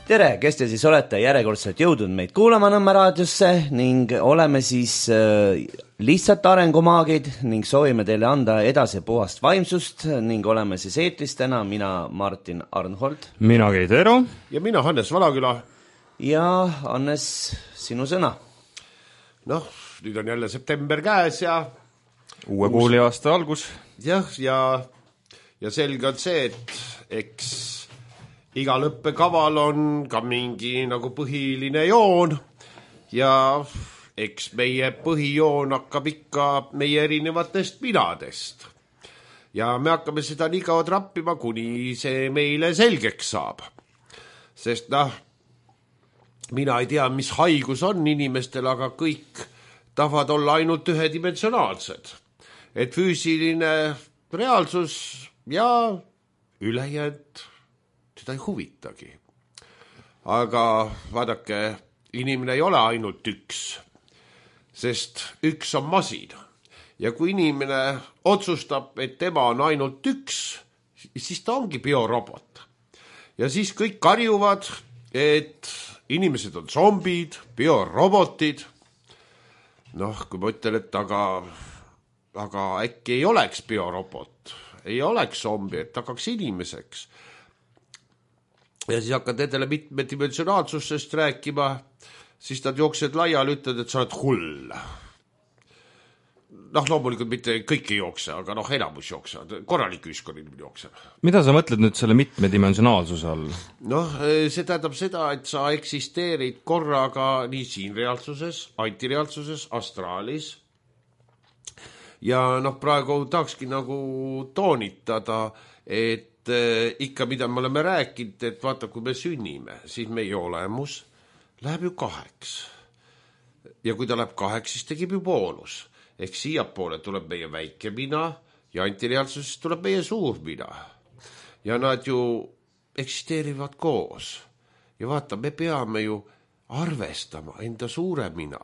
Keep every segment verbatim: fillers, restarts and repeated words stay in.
Tere, kes te siis olete järjekordselt jõudnud meid kuulama Nõmme raadiosse ning oleme siis äh, lihtsalt arengumaagid ning soovime teile anda edasi puhast vaimsust ning oleme siis eetris täna mina Martin Arnhold. Mina Keit Eero. Ja mina Hannes Valaküla. Ja Hannes, sinu sõna. Noh, nüüd on jälle september käes ja uue uus... kooli aasta algus. Jah, ja, ja selge on see, et eks igal õppekaval on ka mingi nagu põhiline joon ja eks meie põhijoon hakkab ikka meie erinevatest minadest. Ja me hakkame seda nii kaua trappima, kuni see meile selgeks saab. Sest noh, mina ei tea, mis haigus on inimestel, aga kõik tahavad olla ainult ühedimensionaalsed. Et füüsiline reaalsus ja ülejäänud seda ei huvitagi. Aga vaadake, inimene ei ole ainult üks, sest üks on masin. Ja kui inimene otsustab, et tema on ainult üks, siis ta ongi biorobot. Ja siis kõik karjuvad, et inimesed on zombid, biorobotid. Noh, kui ma ütlen, et aga, aga äkki ei oleks biorobot, ei oleks zombi, et hakkaks inimeseks. Ja siis hakkad nendele mitmedimensionaalsusest rääkima, siis nad jooksed laiali, ütlevad, et sa oled hull. Noh, loomulikult mitte kõik ei jookse, aga noh, enamus jooksevad, korralik ühiskond jookseb. Mida sa mõtled nüüd selle mitmedimensionaalsuse all? Noh, see tähendab seda, et sa eksisteerid korraga nii siin reaalsuses, antireaalsuses, astraalis. Ja noh, praegu tahakski nagu toonitada, et ikka, mida me oleme rääkinud, et vaata, kui me sünnime, siis meie olemus läheb ju kaheks. Ja kui ta läheb kaheks, siis tegib ju poolus. Ehk siia poole tuleb meie väike mina ja antireaalsusest tuleb meie suur mina. Ja nad ju eksisteerivad koos. Ja vaata, me peame ju arvestama enda suure mina.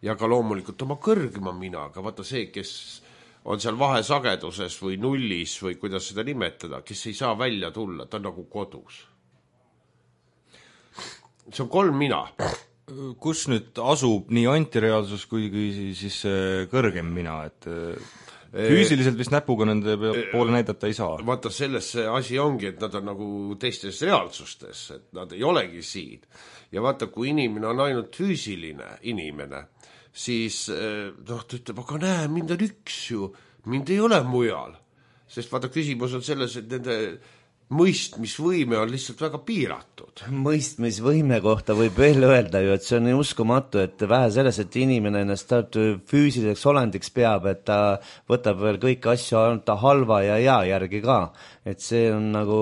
Ja ka loomulikult oma kõrgema minaga. Vaata see, kes on seal vahesageduses või nullis või kuidas seda nimetada, kes ei saa välja tulla, ta on nagu kodus. See on kolm mina. Kus nüüd asub nii antireaalsus kui siis kõrgem mina, et füüsiliselt vist näpuga nende poole näidata ei saa? Vaata, selles see asi ongi, et nad on nagu teistes reaalsustes, et nad ei olegi siin. Ja vaata, kui inimene on ainult füüsiline inimene, siis noh, ta ütleb, aga näe, mind on üks ju, mind ei ole mujal. Sest vaata, küsimus on selles, et nende mõistmisvõime on lihtsalt väga piiratud. Mõistmisvõime kohta võib veel öelda ju, et see on uskumatu, et vähe selles, et inimene ennast füüsiliseks olendiks peab, et ta võtab veel kõiki asju ainult ta halva ja hea järgi ka. Et see on nagu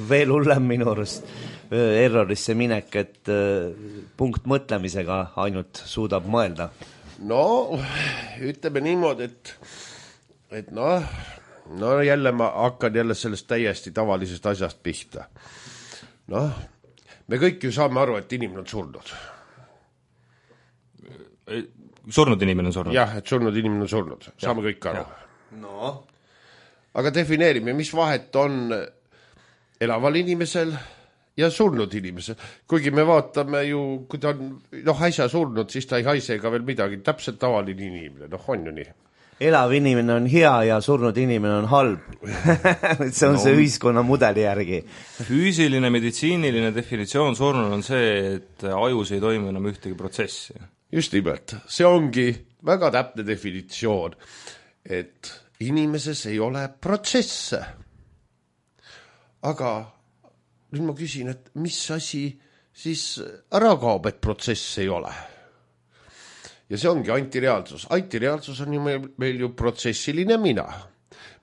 veel hullem minu arust errorisse minek, et punkt mõtlemisega ainult suudab mõelda. No, ütleme niimoodi, et, et noh, no jälle ma hakkan jälle sellest täiesti tavalisest asjast pihta. Noh, me kõik ju saame aru, et inimene on surnud. Surnud inimene on surnud? Jah, et surnud inimene on surnud. Saame ja, kõik aru. No. Aga defineerime, mis vahet on elaval inimesel ja surnud inimesel. Kuigi me vaatame ju, kui ta on noh, äsja surnud, siis ta ei haise ega veel midagi. Täpselt tavaline inimene, noh on ju nii. Elav inimene on hea ja surnud inimene on halb. see on no, see ühiskonna mudeli järgi. Füüsiline, meditsiiniline definitsioon surnud on see, et ajus ei toimu enam ühtegi protsessi. Just nimelt. See ongi väga täpne definitsioon, et inimeses ei ole protsesse. Aga nüüd ma küsin, et mis asi siis ära kaob, et protsess ei ole? Ja see ongi antireaalsus. Antireaalsus on ju meil, meil ju protsessiline mina.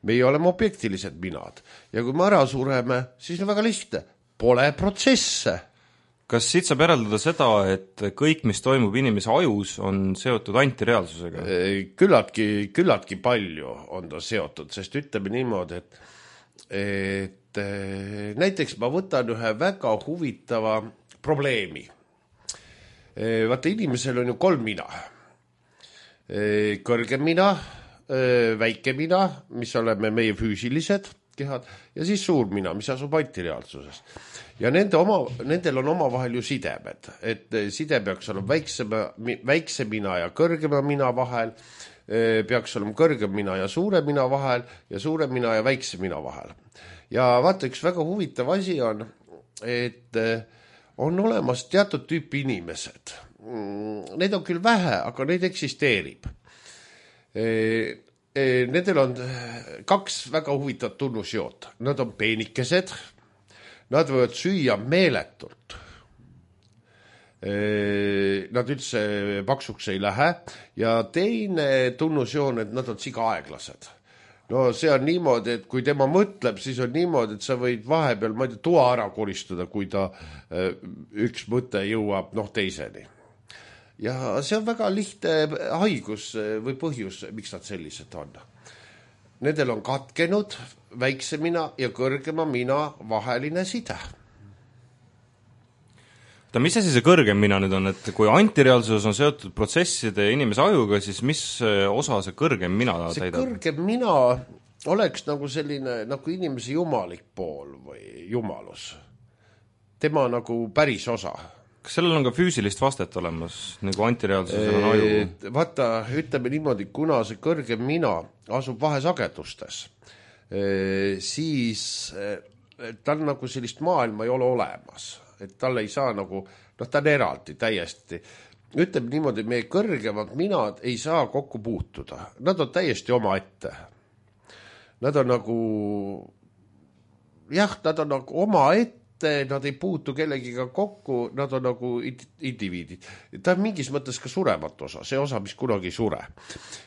Meie oleme objektilised minad. Ja kui me ära sureme, siis on väga lihtne. Pole protsesse. Kas siit saab järeldada seda, et kõik, mis toimub inimese ajus, on seotud antireaalsusega? Küllaltki, küllaltki palju on ta seotud, sest ütleme niimoodi, et, et näiteks ma võtan ühe väga huvitava probleemi. Vaata, inimesel on ju kolm mina. Kõrgem mina, väike mina, mis oleme meie füüsilised, kehad ja siis suur mina, mis asub antireaalsuses. Ja nende oma, nendel on oma vahel ju sidemed, et side peaks olema väiksema, väikse mina ja kõrgema mina vahel, peaks olema kõrgem mina ja suure mina vahel ja suure mina ja väikse mina vahel. Ja vaata, üks väga huvitav asi on, et on olemas teatud tüüpi inimesed. Neid on küll vähe, aga neid eksisteerib. Nendel on kaks väga huvitavat tunnusjoot. Nad on peenikesed, nad võivad süüa meeletult. Nad üldse paksuks ei lähe ja teine tunnusjoon, et nad on siga aeglased. No see on niimoodi, et kui tema mõtleb, siis on niimoodi, et sa võid vahepeal, ma ei tea, toa ära koristada, kui ta üks mõte jõuab noh teiseni. Ja see on väga lihtne haigus või põhjus, miks nad sellised on. Nendel on katkenud väikse mina ja kõrgema mina vaheline side. Ta, mis asi see kõrgem mina nüüd on, et kui antireaalsus on seotud protsesside ja inimese ajuga, siis mis osa see kõrgem mina see täidab? See kõrgem mina oleks nagu selline nagu inimese jumalik pool või jumalus. Tema nagu päris osa. Kas sellel on ka füüsilist vastet olemas, nagu antireaalsusel on aju? Vaata, ütleme niimoodi, kuna see kõrgem mina asub vahesagedustes, siis tal nagu sellist maailma ei ole olemas. Et tal ei saa nagu, noh ta on eraldi täiesti. Ütleme niimoodi, meie kõrgemad minad ei saa kokku puutuda. Nad on täiesti oma ette. Nad on nagu, jah, nad on nagu oma ette, nad ei puutu kellegiga kokku, nad on nagu indiviidid. Ta on mingis mõttes ka suremat osa, see osa, mis kunagi ei sure.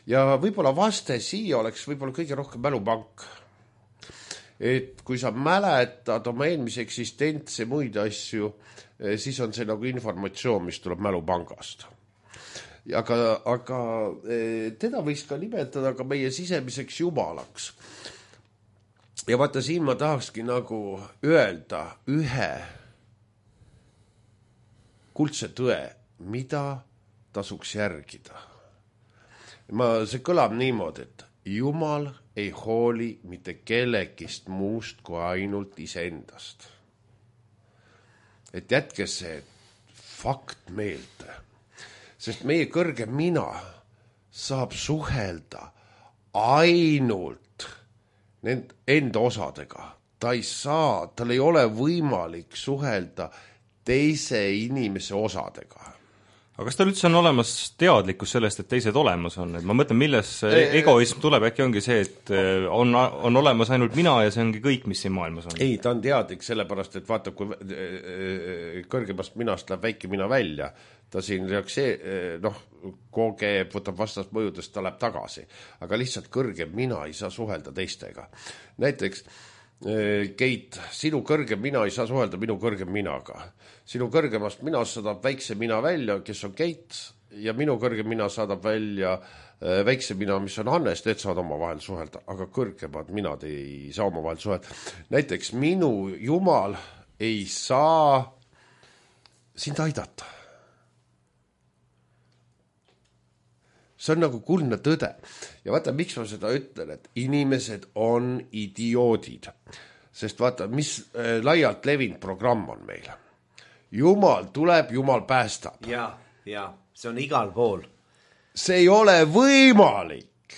Ja võib-olla vaste siia oleks võib-olla kõige rohkem mälupank. Et kui sa mäletad oma eelmise eksistentse muid asju, siis on see nagu informatsioon, mis tuleb mälupangast. Aga, aga teda võiks ka nimetada ka meie sisemiseks jumalaks. Ja vaata, siin ma tahakski nagu öelda ühe kuldse tõe, mida tasuks järgida. Ma, see kõlab niimoodi, et Jumal ei hooli mitte kellegist muust kui ainult iseendast. Et jätke see fakt meelde. Sest meie kõrge mina saab suhelda ainult enda osadega. Ta ei saa, tal ei ole võimalik suhelda teise inimese osadega. Aga kas tal üldse on olemas teadlikkus sellest, et teised olemas on? Et ma mõtlen, milles egoism tuleb, äkki ongi see, et on, on olemas ainult mina ja see ongi kõik, mis siin maailmas on? Ei, ta on teadlik sellepärast, et vaata, kui kõrgemast minast läheb väike mina välja, ta siin reaksee, noh, kogeb, võtab vastast mõjudest, ta läheb tagasi. Aga lihtsalt kõrgem mina ei saa suhelda teistega. Näiteks Keit, sinu kõrgem mina ei saa suhelda minu kõrgem minaga. Sinu kõrgemast minast saadab väikse mina välja, kes on Keit, ja minu kõrgem mina saadab välja väikse mina, mis on Hannes, need saavad oma vahel suhelda, aga kõrgemad minad ei saa oma vahel suhelda. Näiteks minu Jumal ei saa sind aidata. See on nagu kuldne tõde. Ja vaata, miks ma seda ütlen, et inimesed on idioodid. Sest vaata, mis laialt levinud programm on meil. Jumal tuleb, Jumal päästab. Ja, ja, see on igal pool. See ei ole võimalik.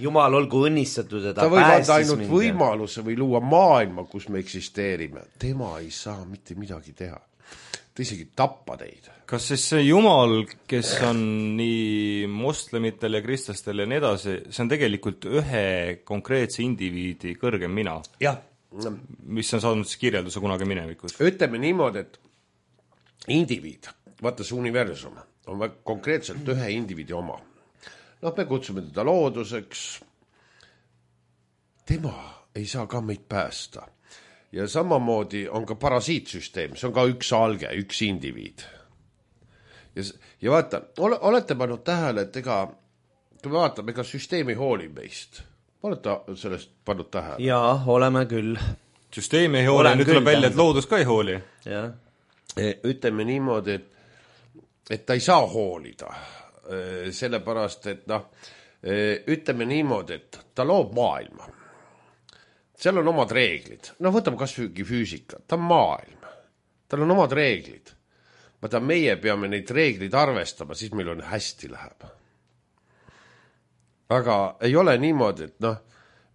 Jumal olgu õnnistatud, et ta, ta võib anda päästis ainult mind. Võimaluse või luua maailma, kus me eksisteerime. Tema ei saa mitte midagi teha. Ta isegi tappa teid. Kas siis see Jumal, kes on nii moslemitel ja kristlastel ja nii edasi, see on tegelikult ühe konkreetse indiviidi kõrgem mina? Jah. Mis on saanud siis kirjelduse kunagi minevikus? Ütleme niimoodi, et indiviid, vaata see universum, on väga konkreetselt ühe indiviidi oma. Noh, me kutsume teda looduseks. Tema ei saa ka meid päästa. Ja samamoodi on ka parasiitsüsteem, see on ka üks alge, üks indiviid. Ja, ja vaata, ole, olete pannud tähele, et ega, kui me vaatame, ega süsteemi hooli meist. Olete sellest pannud tähele? Jaa, oleme küll. Süsteemi ei hooli, nüüd tuleb välja, et loodus ka ei hooli. Ja. Ütleme niimoodi, et, et ta ei saa hoolida. Sellepärast, et noh, ütleme niimoodi, et ta loob maailma. seal on omad reeglid. No võtame kas või füüsika, ta on maailm. Tal on omad reeglid. Vaata, meie peame neid reeglid arvestama, siis meil on hästi läheb. Aga ei ole niimoodi, et noh,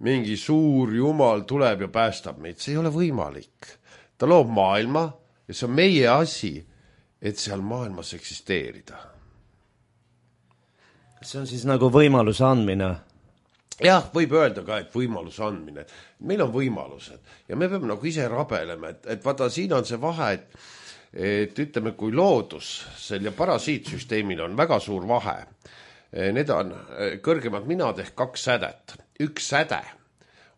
mingi suur jumal tuleb ja päästab meid. See ei ole võimalik. Ta loob maailma ja see on meie asi, et seal maailmas eksisteerida. See on siis nagu võimaluse andmine. Jah, võib öelda ka, et võimaluse andmine. Meil on võimalused ja me peame nagu ise rabelema, et, et vaata, siin on see vahe, et, et ütleme, kui loodus sel ja parasiitsüsteemil on väga suur vahe. Need on kõrgemad minad ehk kaks sädet. Üks säde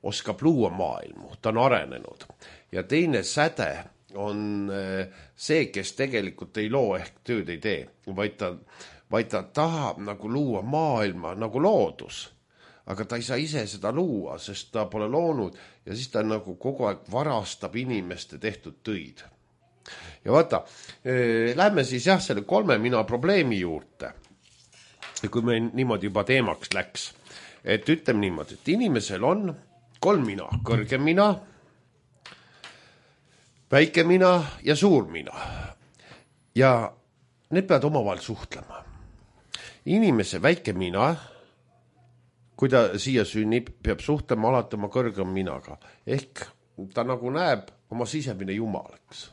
oskab luua maailmu, ta on arenenud. Ja teine säde on see, kes tegelikult ei loo ehk tööd ei tee, vaid ta, vaid ta tahab nagu luua maailma nagu loodus. Aga ta ei saa ise seda luua, sest ta pole loonud ja siis ta nagu kogu aeg varastab inimeste tehtud töid. Ja vaata, eh, lähme siis jah selle kolme mina probleemi juurde, kui me niimoodi juba teemaks läks. Et ütleme niimoodi, et inimesel on kolm mina, kõrge mina, väike mina ja suur mina. Ja need peavad omavahel suhtlema. Inimese väike mina, kui ta siia sünnib, peab suhtlema alati oma kõrgem minaga. Ehk ta nagu näeb oma sisemine jumalaks.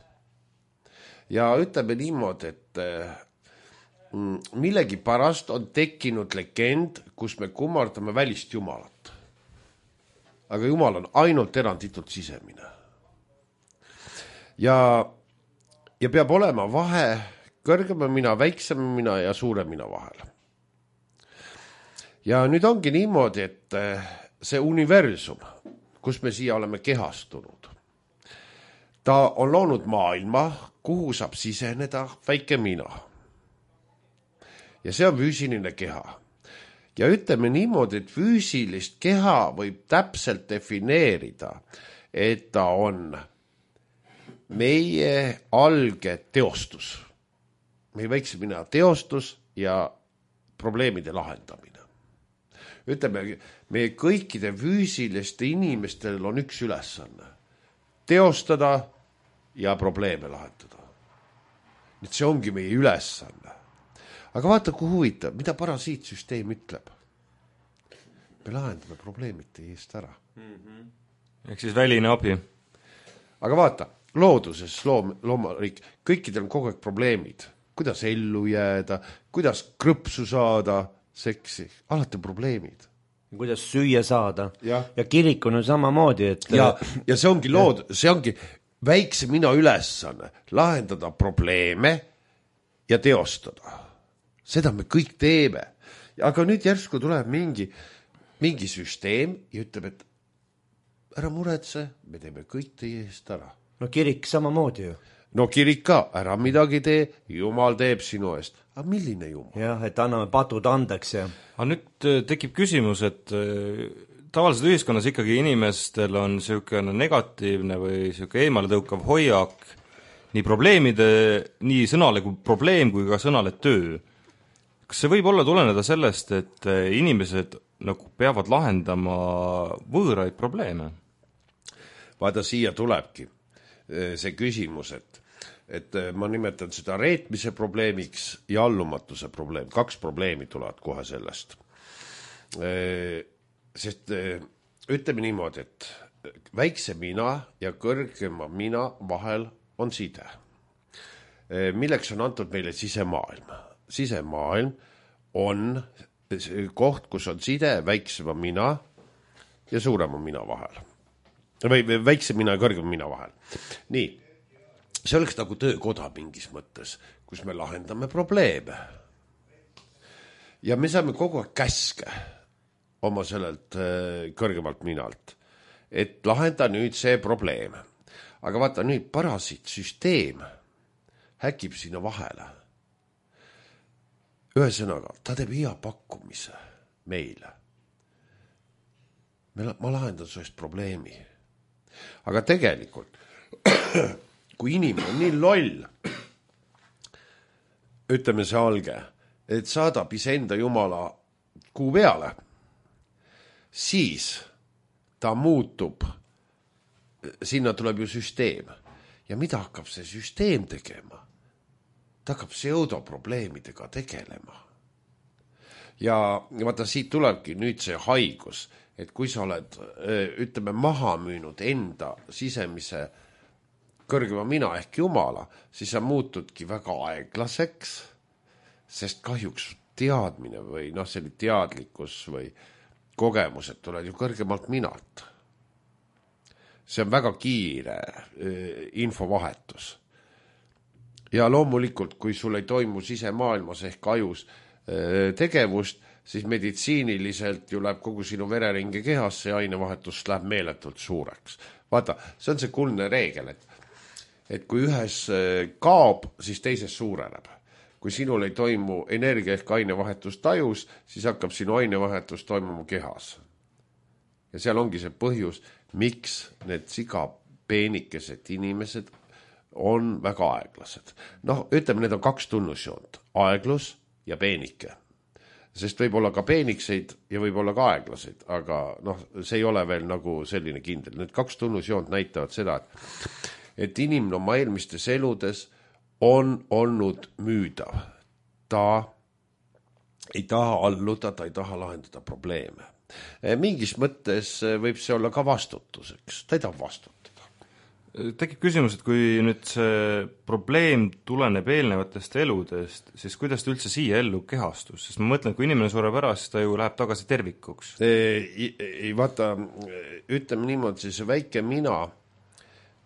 Ja ütleme niimoodi, et millegi pärast on tekkinud legend, kus me kummardame välist jumalat. Aga jumal on ainult eranditult sisemine. Ja, ja peab olema vahe kõrgema mina, väiksema mina ja suure mina vahel. Ja nüüd ongi niimoodi, et see universum, kus me siia oleme kehastunud, ta on loonud maailma, kuhu saab siseneda väike mina. Ja see on füüsiline keha. Ja ütleme niimoodi, et füüsilist keha võib täpselt defineerida, et ta on meie alge teostus. Meie väikse mina teostus ja probleemide lahendamine. Ütleme, meie kõikide füüsiliste inimestel on üks ülesanne. Teostada ja probleeme lahendada. Nüüd see ongi meie ülesanne. Aga vaata, kui huvitav, mida parasiitsüsteem ütleb. Me lahendame probleemite eest ära. Mm-hmm. Ehk siis väline abi. Aga vaata, looduses, loom, loomariik, kõikidel on kogu aeg probleemid. Kuidas ellu jääda, kuidas krõpsu saada, seksi, alati probleemid. Kuidas süüa saada. Ja, ja kirik on ju samamoodi, et... Ja, ja see ongi lood, see ongi väikse mina ülesanne, lahendada probleeme ja teostada. Seda me kõik teeme. Aga nüüd järsku tuleb mingi, mingi süsteem ja ütleb, et ära muretse, me teeme kõik teie eest ära. No kirik samamoodi ju. No kirik ka, ära midagi tee, jumal teeb sinu eest. Aga milline jumal? Jah, et anname patud andeks ja... Aga nüüd tekib küsimus, et tavaliselt ühiskonnas ikkagi inimestel on niisugune negatiivne või niisugune eemale tõukav hoiak nii probleemide, nii sõnale kui probleem kui ka sõnale töö. Kas see võib olla tuleneda sellest, et inimesed nagu peavad lahendama võõraid probleeme? Vaata, siia tulebki see küsimus, et et ma nimetan seda reetmise probleemiks ja allumatuse probleem. Kaks probleemi tulevad kohe sellest. Sest ütleme niimoodi, et väikse mina ja kõrgema mina vahel on side. Milleks on antud meile sisemaailm? Sisemaailm on koht, kus on side väiksema mina ja suurema mina vahel. Või väikse mina ja kõrgema mina vahel. Nii. See oleks nagu töökoda mingis mõttes, kus me lahendame probleeme. Ja me saame kogu aeg käske oma sellelt kõrgemalt minalt, et lahenda nüüd see probleem. Aga vaata nüüd parasiitsüsteem häkib sinna vahele. Ühesõnaga, ta teeb hea pakkumise meile. Ma lahendan sellest probleemi. Aga tegelikult kui inimene on nii loll, ütleme see alge, et saadab iseenda jumala kuu peale, siis ta muutub sinna tuleb ju süsteem. Ja mida hakkab see süsteem tegema? Ta hakkab pseudoprobleemidega tegelema. Ja, ja vaata, siit tulebki nüüd see haigus, et kui sa oled, ütleme, maha müünud enda sisemise kõrgema mina ehk Jumala, siis sa muutudki väga aeglaseks, sest kahjuks teadmine või noh, selline teadlikkus või kogemused tuleb ju kõrgemalt minalt. See on väga kiire infovahetus. Ja loomulikult, kui sul ei toimu sisemaailmas ehk ajus tegevust, siis meditsiiniliselt ju läheb kogu sinu vereringe kehasse ja ainevahetus läheb meeletult suureks. Vaata, see on see kuldne reegel, et, et kui ühes kaob, siis teises suureneb. Kui sinul ei toimu energia ehk ainevahetus tajus, siis hakkab sinu ainevahetus toimuma kehas. Ja seal ongi see põhjus, miks need siga peenikesed inimesed on väga aeglased. Noh, ütleme, need on kaks tunnusjoont, aeglus ja peenike. Sest võib olla ka peenikseid ja võib olla ka aeglaseid, aga noh, see ei ole veel nagu selline kindel. Need kaks tunnusjoont näitavad seda, et, et inimene oma eelmistes eludes on olnud müüdav. Ta ei taha alluda, ta ei taha lahendada probleeme. Mingis mõttes võib see olla ka vastutuseks, ta ei taha vastutada. Tekib küsimus, et kui nüüd see probleem tuleneb eelnevatest eludest, siis kuidas ta üldse siia ellu kehastus? Sest ma mõtlen, kui inimene sureb ära, siis ta ju läheb tagasi tervikuks. Ei, ei vaata, ütleme niimoodi, see väike mina,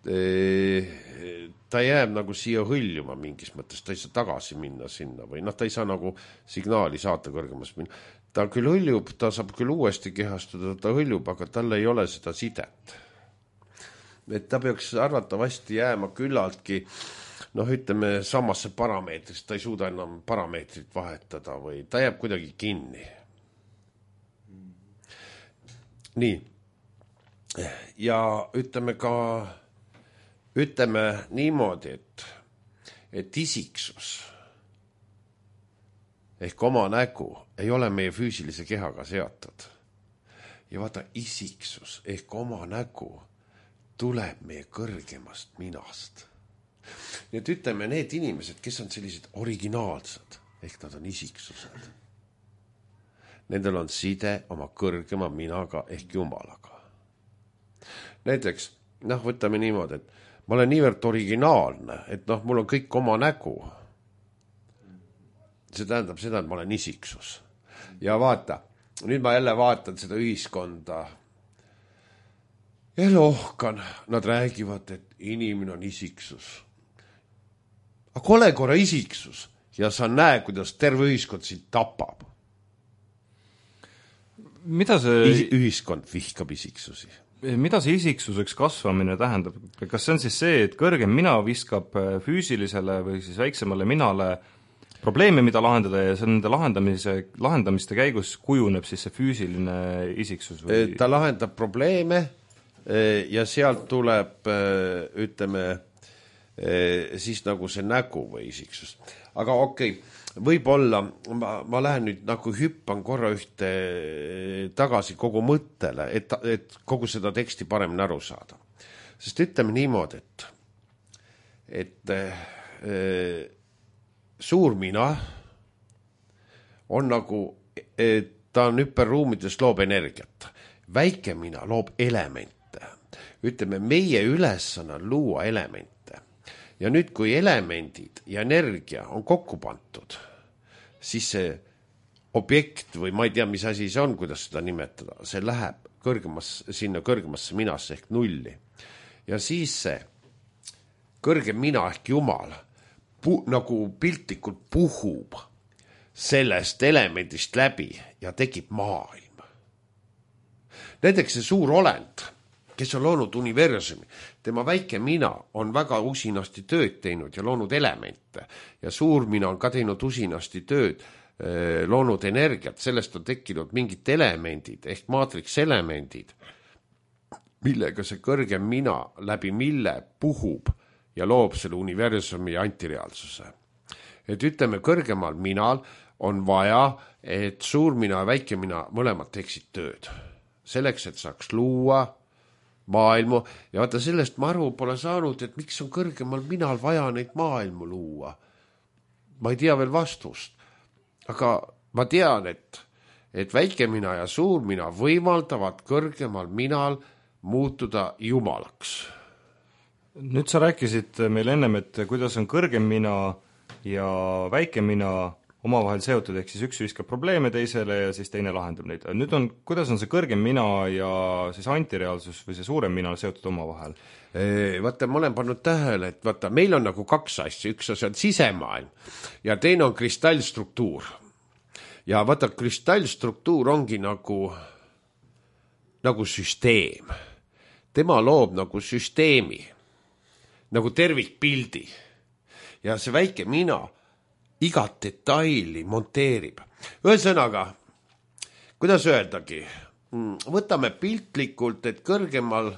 ta jääb nagu siia hõljuma mingis mõttes, ta ei saa tagasi minna sinna või noh, ta ei saa nagu signaali saata kõrgemas minna. Ta küll hõljub, ta saab küll uuesti kehastuda, ta hõljub, aga tal ei ole seda sidet. Et ta peaks arvatavasti jääma küllaltki, noh, ütleme, samasse parameetrist, ta ei suuda enam parameetrit vahetada või ta jääb kuidagi kinni. Nii. Ja ütleme ka, ütleme niimoodi, et, et isiksus ehk oma nägu ei ole meie füüsilise kehaga seotud. Ja vaata, isiksus ehk oma nägu tuleb meie kõrgemast minast. Nii et ütleme, need inimesed, kes on sellised originaalsed, ehk nad on isiksused. Nendel on side oma kõrgema minaga ehk Jumalaga. Näiteks, noh, võtame niimoodi, et ma olen niivõrd originaalne, et noh, mul on kõik oma nägu. See tähendab seda, et ma olen isiksus. Ja vaata, nüüd ma jälle vaatan seda ühiskonda ja lohkan, nad räägivad, et inimene on isiksus. Aga ole korra isiksus ja sa näe, kuidas terve ühiskond sind tapab. Mida see... Ühiskond vihkab isiksusi. Mida see isiksuseks kasvamine tähendab? Kas see on siis see, et kõrgem mina viskab füüsilisele või siis väiksemale minale probleeme, mida lahendada ja see nende lahendamise, lahendamiste käigus kujuneb siis see füüsiline isiksus? Või... Ta lahendab probleeme ja sealt tuleb, ütleme, siis nagu see nägu või isiksus. Aga okei, okay, võib-olla ma, ma lähen nüüd nagu hüppan korra ühte tagasi kogu mõttele, et, et kogu seda teksti paremini aru saada. Sest ütleme niimoodi, et, et e, suur mina on nagu, ta on hüperruumides loob energiat. Väike mina loob elemente. Ütleme, meie ülesanne on luua elemente. Ja nüüd, kui elemendid ja energia on kokku pantud, siis see objekt või ma ei tea, mis asi see on, kuidas seda nimetada, see läheb kõrgemas, sinna kõrgemasse minasse ehk nulli. Ja siis see kõrgem mina ehk Jumal pu, nagu piltlikult puhub sellest elemendist läbi ja tekib maailm. Näiteks see suur olend, kes on loonud universumi, tema väike mina on väga usinasti tööd teinud ja loonud elemente ja suur mina on ka teinud usinasti tööd, loonud energiat, sellest on tekkinud mingid elemendid ehk maatriks elemendid, millega see kõrgem mina läbi mille puhub ja loob selle universumi antireaalsuse. Et ütleme, kõrgemal minal on vaja, et suur mina ja väike mina mõlemad teeksid tööd. Selleks, et saaks luua maailmu ja vaata sellest ma aru pole saanud, et miks on kõrgemal minal vaja neid maailmu luua. Ma ei tea veel vastust, aga ma tean, et, et väike mina ja suur mina võimaldavad kõrgemal minal muutuda jumalaks. Nüüd sa rääkisid meil ennem, et kuidas on kõrgem mina ja väike mina omavahel seotud, ehk siis üks viskab probleeme teisele ja siis teine lahendab neid. Nüüd on, kuidas on see kõrgem mina ja siis antireaalsus või see suurem mina seotud omavahel? Vaata, ma olen pannud tähele, et vaata, meil on nagu kaks asja, üks asi on sisemaailm ja teine on kristallstruktuur. Ja vaata, kristallstruktuur ongi nagu, nagu süsteem. Tema loob nagu süsteemi, nagu tervikpildi. Ja see väike mina igat detaili monteerib. Ühesõnaga, kuidas öeldagi, võtame piltlikult, et kõrgemal,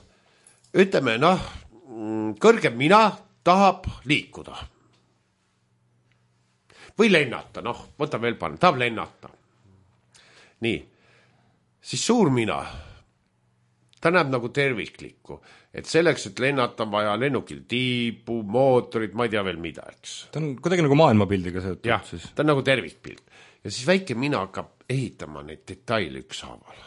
ütleme, noh, kõrgem mina tahab liikuda. Või lennata, noh, võta veel panna, tahab lennata. Nii, siis suur mina, ta näeb nagu terviklikku, et selleks, et lennata on vaja lennukil tiipu, mootorid, ma ei tea veel mida, eks. Ta on kuidagi nagu maailmapildiga seotud. Jah, siis. Ta on nagu tervikpild. Ja siis väike mina hakkab ehitama neid detaile ükshaaval.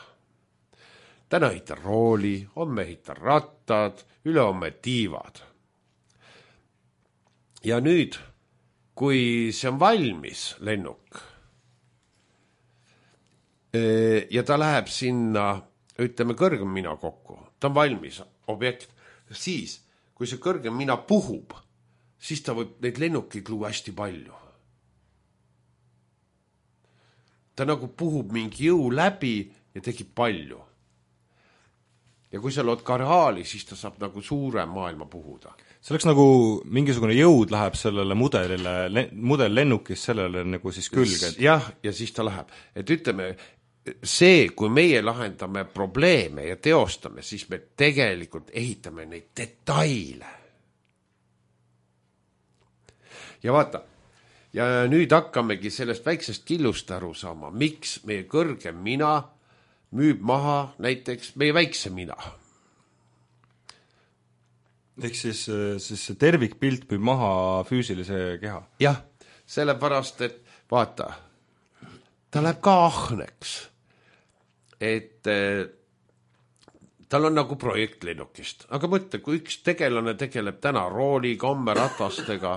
Täna ehitan rooli, homme ehitan rattad, ülehomme tiivad. Ja nüüd, kui see on valmis, lennuk, ja ta läheb sinna, ütleme, kõrgem mina kokku, ta on valmis objekt, siis, kui see kõrgem mina puhub, siis ta võib neid lennukeid luua hästi palju. Ta nagu puhub mingi jõu läbi ja tekib palju. Ja kui sa lood karaali, siis ta saab nagu suurem maailma puhuda. See oleks nagu mingisugune jõud läheb sellele mudelile, mudel lennukis sellele nagu siis külge. Jah, ja siis ta läheb. Et ütleme, see, kui meie lahendame probleeme ja teostame, siis me tegelikult ehitame neid detaile. Ja vaata, ja nüüd hakkamegi sellest väiksest killust aru saama, miks meie kõrgem mina müüb maha näiteks meie väikse mina. Ehk siis, siis see tervikpilt müüb maha füüsilise keha? Jah, sellepärast, et vaata, ta läheb ka ahneks. Et eh, tal on nagu projekt lennukist. Aga mõtle, kui üks tegelane tegeleb täna rooli, komme, ratastega,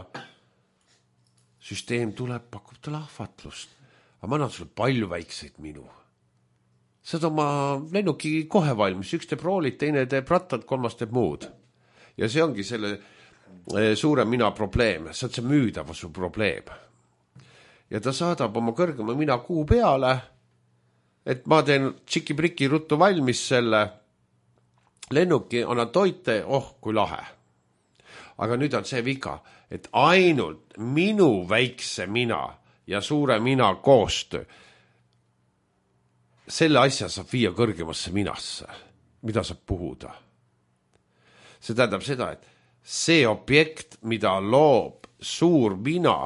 süsteem tuleb, pakub talle ahvatlust. Aga ma annan sulle palju väikseid minu. Saad oma lennuki kohe valmis, üks teeb roolid, teine teeb rattad, kolmas teeb muud. Ja see ongi selle eh, suure mina probleem, see on see müüdavuse probleem. Ja ta saadab oma kõrgema mina kuu peale, et ma teen tšiki-priki ruttu valmis selle lennuki, annan toite, oh kui lahe. Aga nüüd on see viga, et ainult minu väikse mina ja suure mina koostöö, selle asja saab viia kõrgemasse minasse, mida saab puhuda. See tähendab seda, et see objekt, mida loob suur mina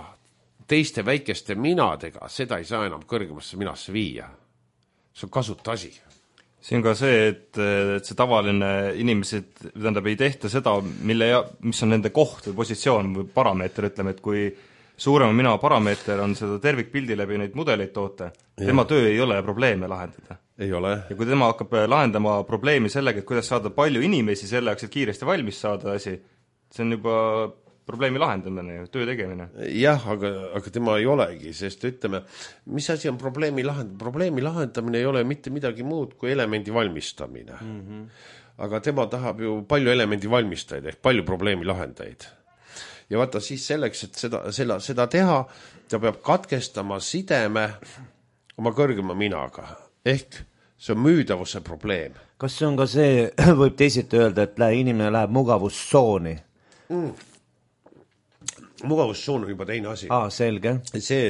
teiste väikeste minadega, seda ei saa enam kõrgemasse minasse viia. See on kasuta asi. See on ka see, et, et see tavaline inimesed, tähendab, ei tehta seda, mille, mis on nende koht või positsioon või parameeter, ütleme, et kui suurema mina parameeter on seda tervikpildi läbi neid mudeleid toote, ja. Tema töö ei ole probleeme lahendada. Ei ole. Ja kui tema hakkab lahendama probleemi sellega, et kuidas saada palju inimesi selleks, et kiiresti valmis saada asi, see on juba probleemi lahendamine, töö tegemine. Jah, aga, aga tema ei olegi, sest ütleme, mis asi on probleemi lahendamine? Probleemi lahendamine ei ole mitte midagi muud kui elemendi valmistamine. Mm-hmm. Aga tema tahab ju palju elemendi valmistajaid ehk palju probleemi lahendajaid. Ja vaata siis selleks, et seda, seda, seda teha, ta peab katkestama sideme oma kõrgema minaga. Ehk see on müüdavuse probleem. Kas see on ka see, võib teisiti öelda, et inimene läheb mugavustsooni? Mm. Mugavustsoon on juba teine asi. Aa, selge. See,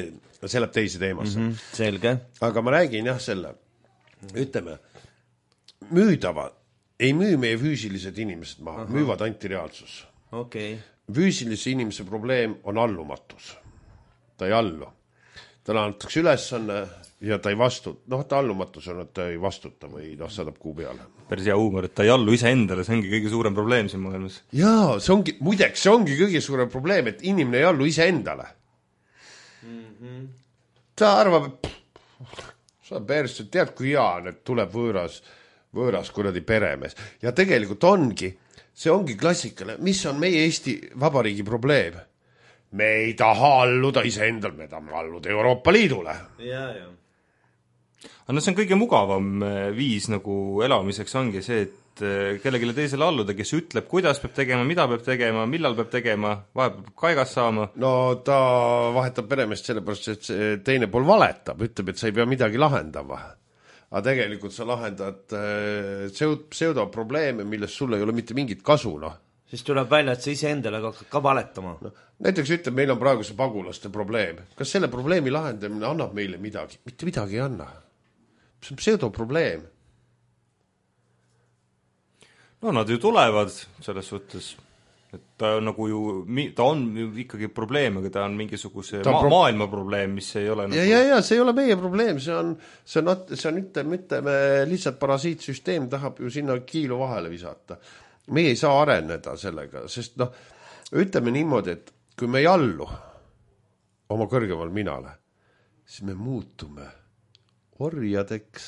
see läheb teise teemasse. Mm-hmm, selge. Aga ma räägin jah selle, ütleme, müüdava, ei müü meie füüsilised inimesed maha, Aha. müüvad antireaalsus. Okay. Füüsilise inimese probleem on allumatus. Ta ei allu. talle antakse ülesanne ja ta ei vastuta, noh, ta allumatus on, et ta ei vastuta või noh, saadab kuu peale. Päris hea huumor, et ta ei allu ise endale, see ongi kõige suurem probleem siin maailmas. Jaa, see ongi, muideks, see ongi kõige suurem probleem, et inimene ei allu ise endale. Mm-hmm. Ta arvab, et sa päris, tead, kui hea on, et tuleb võõras, võõras kuradi peremees. Ja tegelikult ongi, see ongi klassikale, mis on meie Eesti Vabariigi probleem. Me ei taha alluda ise endal, me tahame alluda Euroopa Liidule. Jaa, jaa. Aga no see on kõige mugavam viis nagu elamiseks ongi see, et kellegile teisele alluda, kes ütleb, kuidas peab tegema, mida peab tegema, millal peab tegema, vahepeal kaigas saama. No ta vahetab peremeest sellepärast, et teine pool valetab, ütleb, et sa ei pea midagi lahendama. Aga tegelikult sa lahendad pseudoprobleeme, millest sulle ei ole mitte mingit kasu, noh. Siis tuleb välja, et sa ise endale hakkad ka valetama. No, näiteks ütleb, meil on praegu see pagulaste probleem. Kas selle probleemi lahendamine annab meile midagi? Mitte midagi ei anna. See on pseudoprobleem. No nad ju tulevad selles suhtes, et ta on nagu ju, ta on ikkagi probleem, aga ta on mingisuguse ta ma pro maailma probleem, mis ei ole nagu... Ja, ja, ja, see ei ole meie probleem, see on, see on, see on ütleme, ütleme, lihtsalt parasiitsüsteem tahab ju sinna kiilu vahele visata. Meie ei saa areneda sellega, sest noh, ütleme niimoodi, et kui me ei allu oma kõrgemal minale, siis me muutume orjadeks.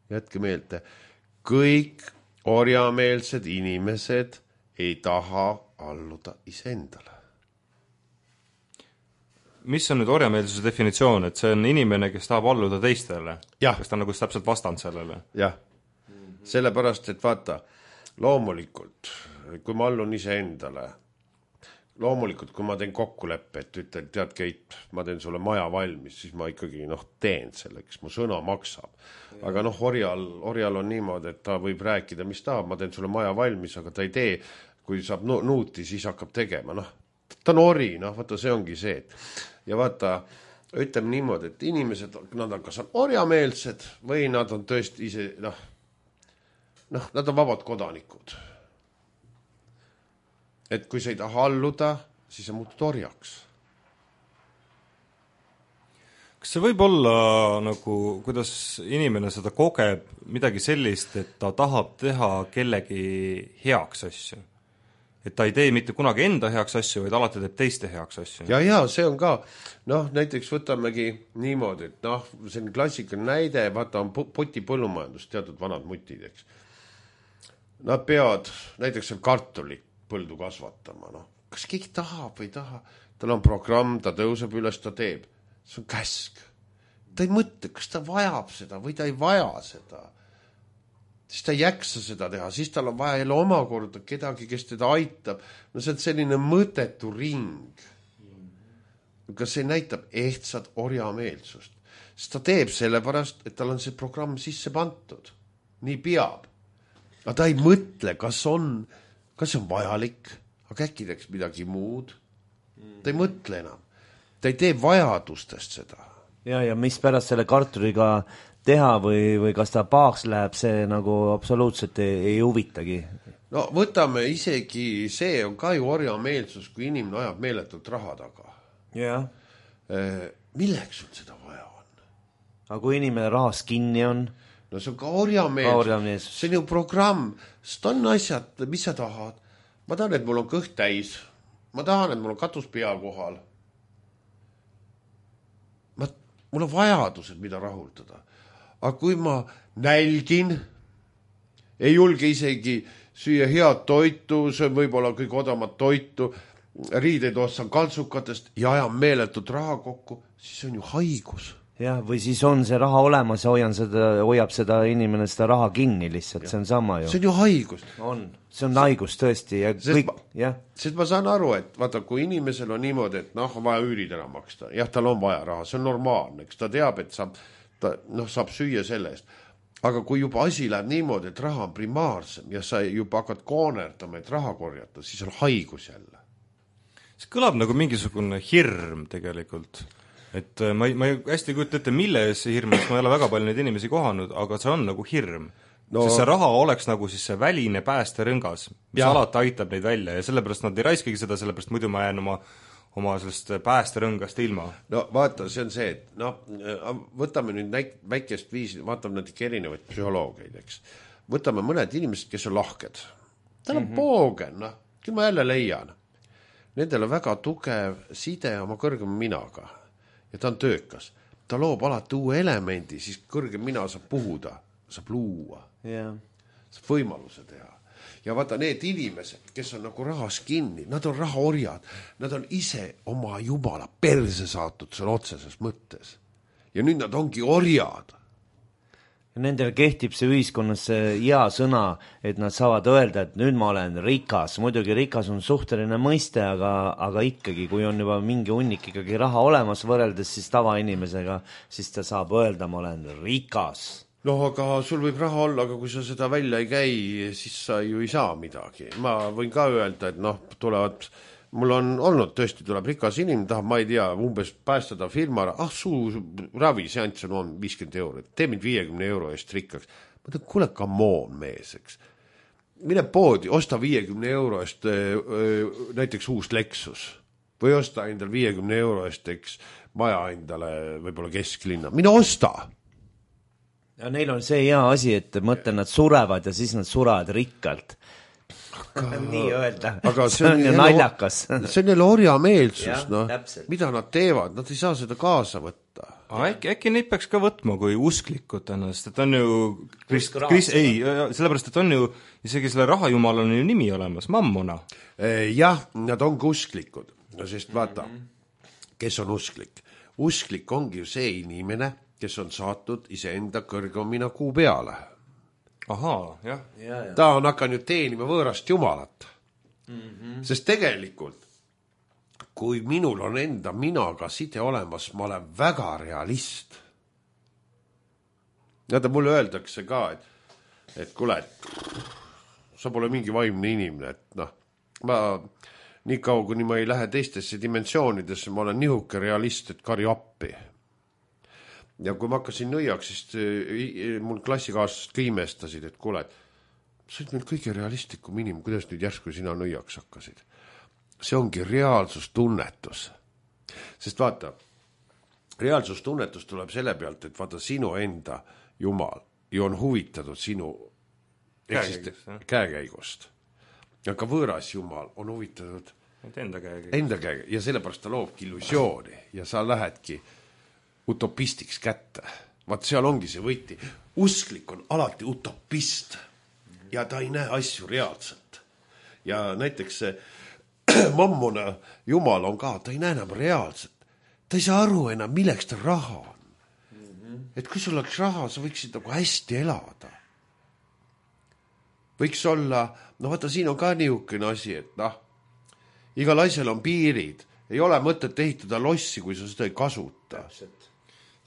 Jätke meelde, kõik orjameelsed inimesed ei taha alluda iseendale. Mis on nüüd orjameelsuse definitsioon, et see on inimene, kes tahab alluda teistele? Ja. Kas ta on nagu täpselt vastand sellele? Jah, sellepärast, et vaata, loomulikult, kui ma allun iseendale, loomulikult, kui ma teen kokkuleppe, et ütlen, tead Keit, ma teen sulle maja valmis, siis ma ikkagi noh, teen selleks, mu sõna maksab. Aga noh, orjal, orjal on niimoodi, et ta võib rääkida, mis tahab, ma teen sulle maja valmis, aga ta ei tee, kui saab nuuti, siis hakkab tegema. Noh, ta on ori, noh, vaata, see ongi see. Ja vaata, ütleme niimoodi, et inimesed, nad on kas on orjameelsed või nad on tõesti ise, noh, noh, nad on vabad kodanikud. Et kui sa ei taha alluda, siis sa muutud orjaks. Kas see võib olla nagu, kuidas inimene seda kogeb midagi sellist, et ta tahab teha kellegi heaks asju? Et ta ei tee mitte kunagi enda heaks asju, vaid alati teeb teiste heaks asju? Ja, ja, see on ka, noh, näiteks võtamegi niimoodi, et noh, see on klassikaline näide, vaata on poti põllumajandus, teatud vanad mutid, eks. Nad peavad, näiteks seal kartulit põldu kasvatama, noh. Kas keegi tahab või taha? Tal on programm, ta tõuseb üles, ta teeb. See on käsk. Ta ei mõtle, kas ta vajab seda või ta ei vaja seda. Siis ta ei jaksa seda teha, siis tal on vaja jälle omakorda kedagi, kes teda aitab. No see on selline mõtetu ring. Kas see näitab ehtsat orjameelsust? Sest ta teeb sellepärast, et tal on see programm sisse pantud. Nii peab. Aga ta ei mõtle, kas on... kas see on vajalik, aga äkki teeks midagi muud. Ta ei mõtle enam. Ta ei tee vajadustest seda. Ja, ja mis pärast selle kartuliga teha või, või kas ta paaks läheb, see nagu absoluutselt ei, ei huvitagi. No võtame isegi, see on ka ju orjameelsus, kui inimene ajab meeletult raha taga. Ja. Milleks sul seda vaja on? Aga kui inimene rahas kinni on... No see on ka orjameelsus. orjameelsus. See on ju programm. Sest on asjad, mis sa tahad. Ma tahan, et mul on kõht täis. Ma tahan, et mul on katus pea kohal. Ma, mul on vajadused, mida rahuldada. Aga kui ma nälgin, ei julge isegi süüa head toitu, see on võib-olla kõik odamat toitu, riideid ostan kaltsukatest ja ajan meeletult raha kokku, siis on ju haigus. Jah, või siis on see raha olemas ja hoian seda, hoiab seda inimene seda raha kinni lihtsalt, ja. See on sama ju. See on ju haigus. On, see on haigus tõesti ja sest kõik, ma, jah. Sest ma saan aru, et vaata, kui inimesel on niimoodi, et noh, on vaja üürid ära maksta, jah, tal on vaja raha, see on normaalne, eks ta teab, et saab, ta, noh, saab süüa selle eest. Aga kui juba asi läheb niimoodi, et raha on primaarsem ja sa juba hakkad koonerdama, et raha korjata, siis on haigus jälle. See kõlab nagu mingisugune hirm tegelikult. Et ma ei, ma ei hästi kujuta ette, mille see hirm, sest ma ei ole väga palju neid inimesi kohanud, aga see on nagu hirm. No, sest see raha oleks nagu siis see väline päästerõngas, mis ja. Alati aitab neid välja ja sellepärast nad ei raiskagi seda, sellepärast muidu ma jään oma, oma sellest päästerõngast ilma. no vaata, see on see, et noh, võtame nüüd näik- väikest viisi, vaatame natuke erinevaid psühholoogiaid, eks. Võtame mõned inimesed, kes on lahked. Tal on mm-hmm. poogen, noh, küll ma jälle leian. Nendel on väga tugev side oma kõrgema minaga ja ta on töökas. Ta loob alati uue elemendi, siis kõrgem mina saab puhuda, saab luua, yeah. saab võimaluse teha. Ja vaata, need inimesed, kes on nagu rahas kinni, nad on rahaorjad, nad on ise oma jumala perse saatud sõna otseses mõttes. Ja nüüd nad ongi orjad. Nendel kehtib see ühiskonnas see hea sõna, et nad saavad öelda, et nüüd ma olen rikas. Muidugi rikas on suhteline mõiste, aga, aga ikkagi, kui on juba mingi hunnik ikkagi raha olemas võrreldes siis tavainimesega, siis ta saab öelda, ma olen rikas. No aga sul võib raha olla, aga kui sa seda välja ei käi, siis sa ju ei saa midagi. Ma võin ka öelda, et noh, tulevad, mul on olnud tõesti, tuleb rikas inimene, tahab, ma ei tea, umbes päästada firma, ah suu ravi seanss on viiskümmend eurot, tee mind viiekümne euro eest rikkaks. Ma tean, kuule, come on mees, eks. Mine poodi, osta viiekümne euro eest näiteks uus Lexus või osta endal viiekümne euro eest, eks, maja endale võib-olla kesklinna. Mine osta! Ja neil on see hea asi, et mõtlen, nad surevad ja siis nad surevad rikkalt. Aga, nii öelda. Aga see on, see on ju naljakas. See on jälle orjameelsus, no. Mida nad teevad? Nad ei saa seda kaasa võtta. Äkki, äkki neid peaks ka võtma kui usklikud ennast, et on ju Krist, Krist, ei, sellepärast, et on ju isegi selle rahajumal on ju nimi olemas, Mammona. Jah, nad ongi usklikud, no sest vaata, kes on usklik? Usklik ongi ju see inimene, kes on saatud iseenda kõrgemina kuu peale. Ahaa, jah. Ja, ja. Ta on hakanud teenima võõrast jumalat. Mm-hmm. Sest tegelikult, kui minul on enda minaga side olemas, ma olen väga realist. Ja ta mulle öeldakse ka, et, et kuule, sa pole mingi vaimne inimene, et noh, ma nii kaua, kuni ma ei lähe teistesse dimensioonidesse, ma olen nihuke realist, et kari appi. Ja kui ma hakkasin nõiaks, siis mul klassikaaslased ka imestasid, et kuule, sa oled meil kõige realistlikum inimene, kuidas nüüd järsku sina nõiaks hakkasid. See ongi reaalsustunnetus. Sest vaata, reaalsustunnetus tuleb selle pealt, et vaata sinu enda jumal ju on huvitatud sinu käekäigust, käekäigust. Aga võõras jumal on huvitatud enda käekäigust. Enda käekäigust. Ja sellepärast ta loobki illusiooni ja sa lähedki utopistiks kätte. Vaat seal ongi see võiti. Usklik on alati utopist ja ta ei näe asju reaalselt. Ja näiteks see Mammona jumal on ka, ta ei näe enam reaalselt. Ta ei saa aru enam, milleks ta raha on. Mm-hmm. Et kui sul oleks raha, sa võiksid nagu hästi elada. Võiks olla, no vaata, siin on ka niisugune asi, et noh, igal asjal on piirid. Ei ole mõtet ehitada lossi, kui sa seda ei kasuta.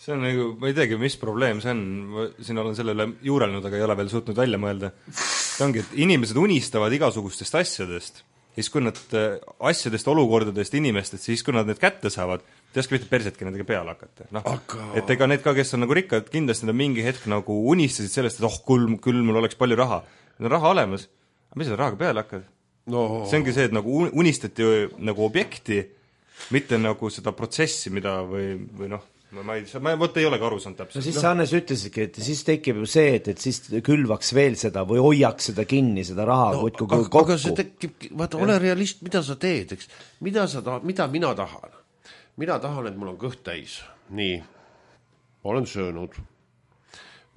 See on nagu, ma ei teagi, mis probleem see on, ma siin olen sellele juurelnud, aga ei ole veel suutnud välja mõelda. See ongi, et inimesed unistavad igasugustest asjadest, siis kui nad asjadest, olukordadest, inimestest, siis kui nad need kätte saavad, te oska mitte persetki nendega peale hakata. No, aga... Et ega need ka, kes on nagu rikkad, kindlasti nad mingi hetk nagu unistasid sellest, et oh, küll, küll mul oleks palju raha. Need on raha olemas, aga mis seda rahaga peale hakkad? No. See ongi see, et nagu unistati nagu objekti, mitte nagu seda protsessi, mida või, või noh, ma ei, ma võtta ei ole ka aru saanud täpselt. No siis sa Hannes ütlesidki, et siis tekib ju see, et, et siis külvaks veel seda või hoiaks seda kinni, seda raha no, kui aga, kokku. Aga see tekib, vaata, ole realist, mida sa teed, eks? Mida, sa ta, mida mina tahan? Mina tahan, et mul on kõht täis. Nii, ma olen söönud.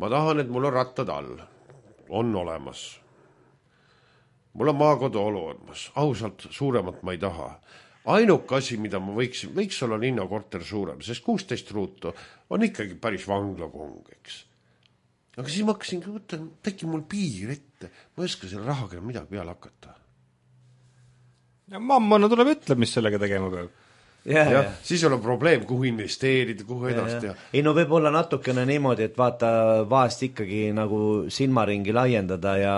Ma tahan, et mul on rattad all. On olemas. Mul on maakodu olemas. Ausalt, suuremat ma ei taha. Ainuk asi, mida ma võiksin, võiks olla linnakorter suurem, sest kuusteist ruutu on ikkagi päris vanglakong, eks. Aga siis ma hakkasin, võtta, teki mul piir ette, ma ei oska selle rahaga midagi peale hakata. Ja mammana tuleb ütleb, mis sellega tegema peab. Ja, ja, ja. siis on probleem, kuhu investeerida, kuhu edasi teha. Ei no võib olla natukene niimoodi, et vaata vahest ikkagi nagu silmaringi laiendada ja,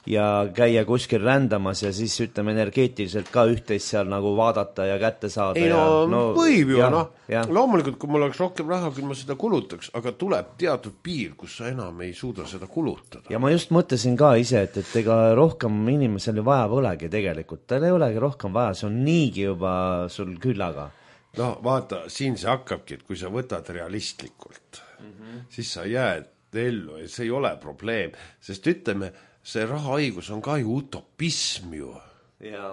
ja käia kuskil rändamas ja siis ütleme energeetiliselt ka üht-teist seal nagu vaadata ja kätte saada. Ei no, ja, no võib ju, noh. Loomulikult, kui mul oleks rohkem raha, kui ma seda kulutaks, aga tuleb teatud piir, kus sa enam ei suuda seda kulutada. Ja ma just mõtlesin ka ise, et, et ega rohkem inimesel vaja polegi tegelikult. Tal ei olegi rohkem vaja, see on niigi juba sul küllaga. No vaata, siin see hakkabki, et kui sa võtad realistlikult, mm-hmm. siis sa jääd ellu ja see ei ole probleem, sest ütleme, see rahahaigus on ka ju utopism ju. Ja.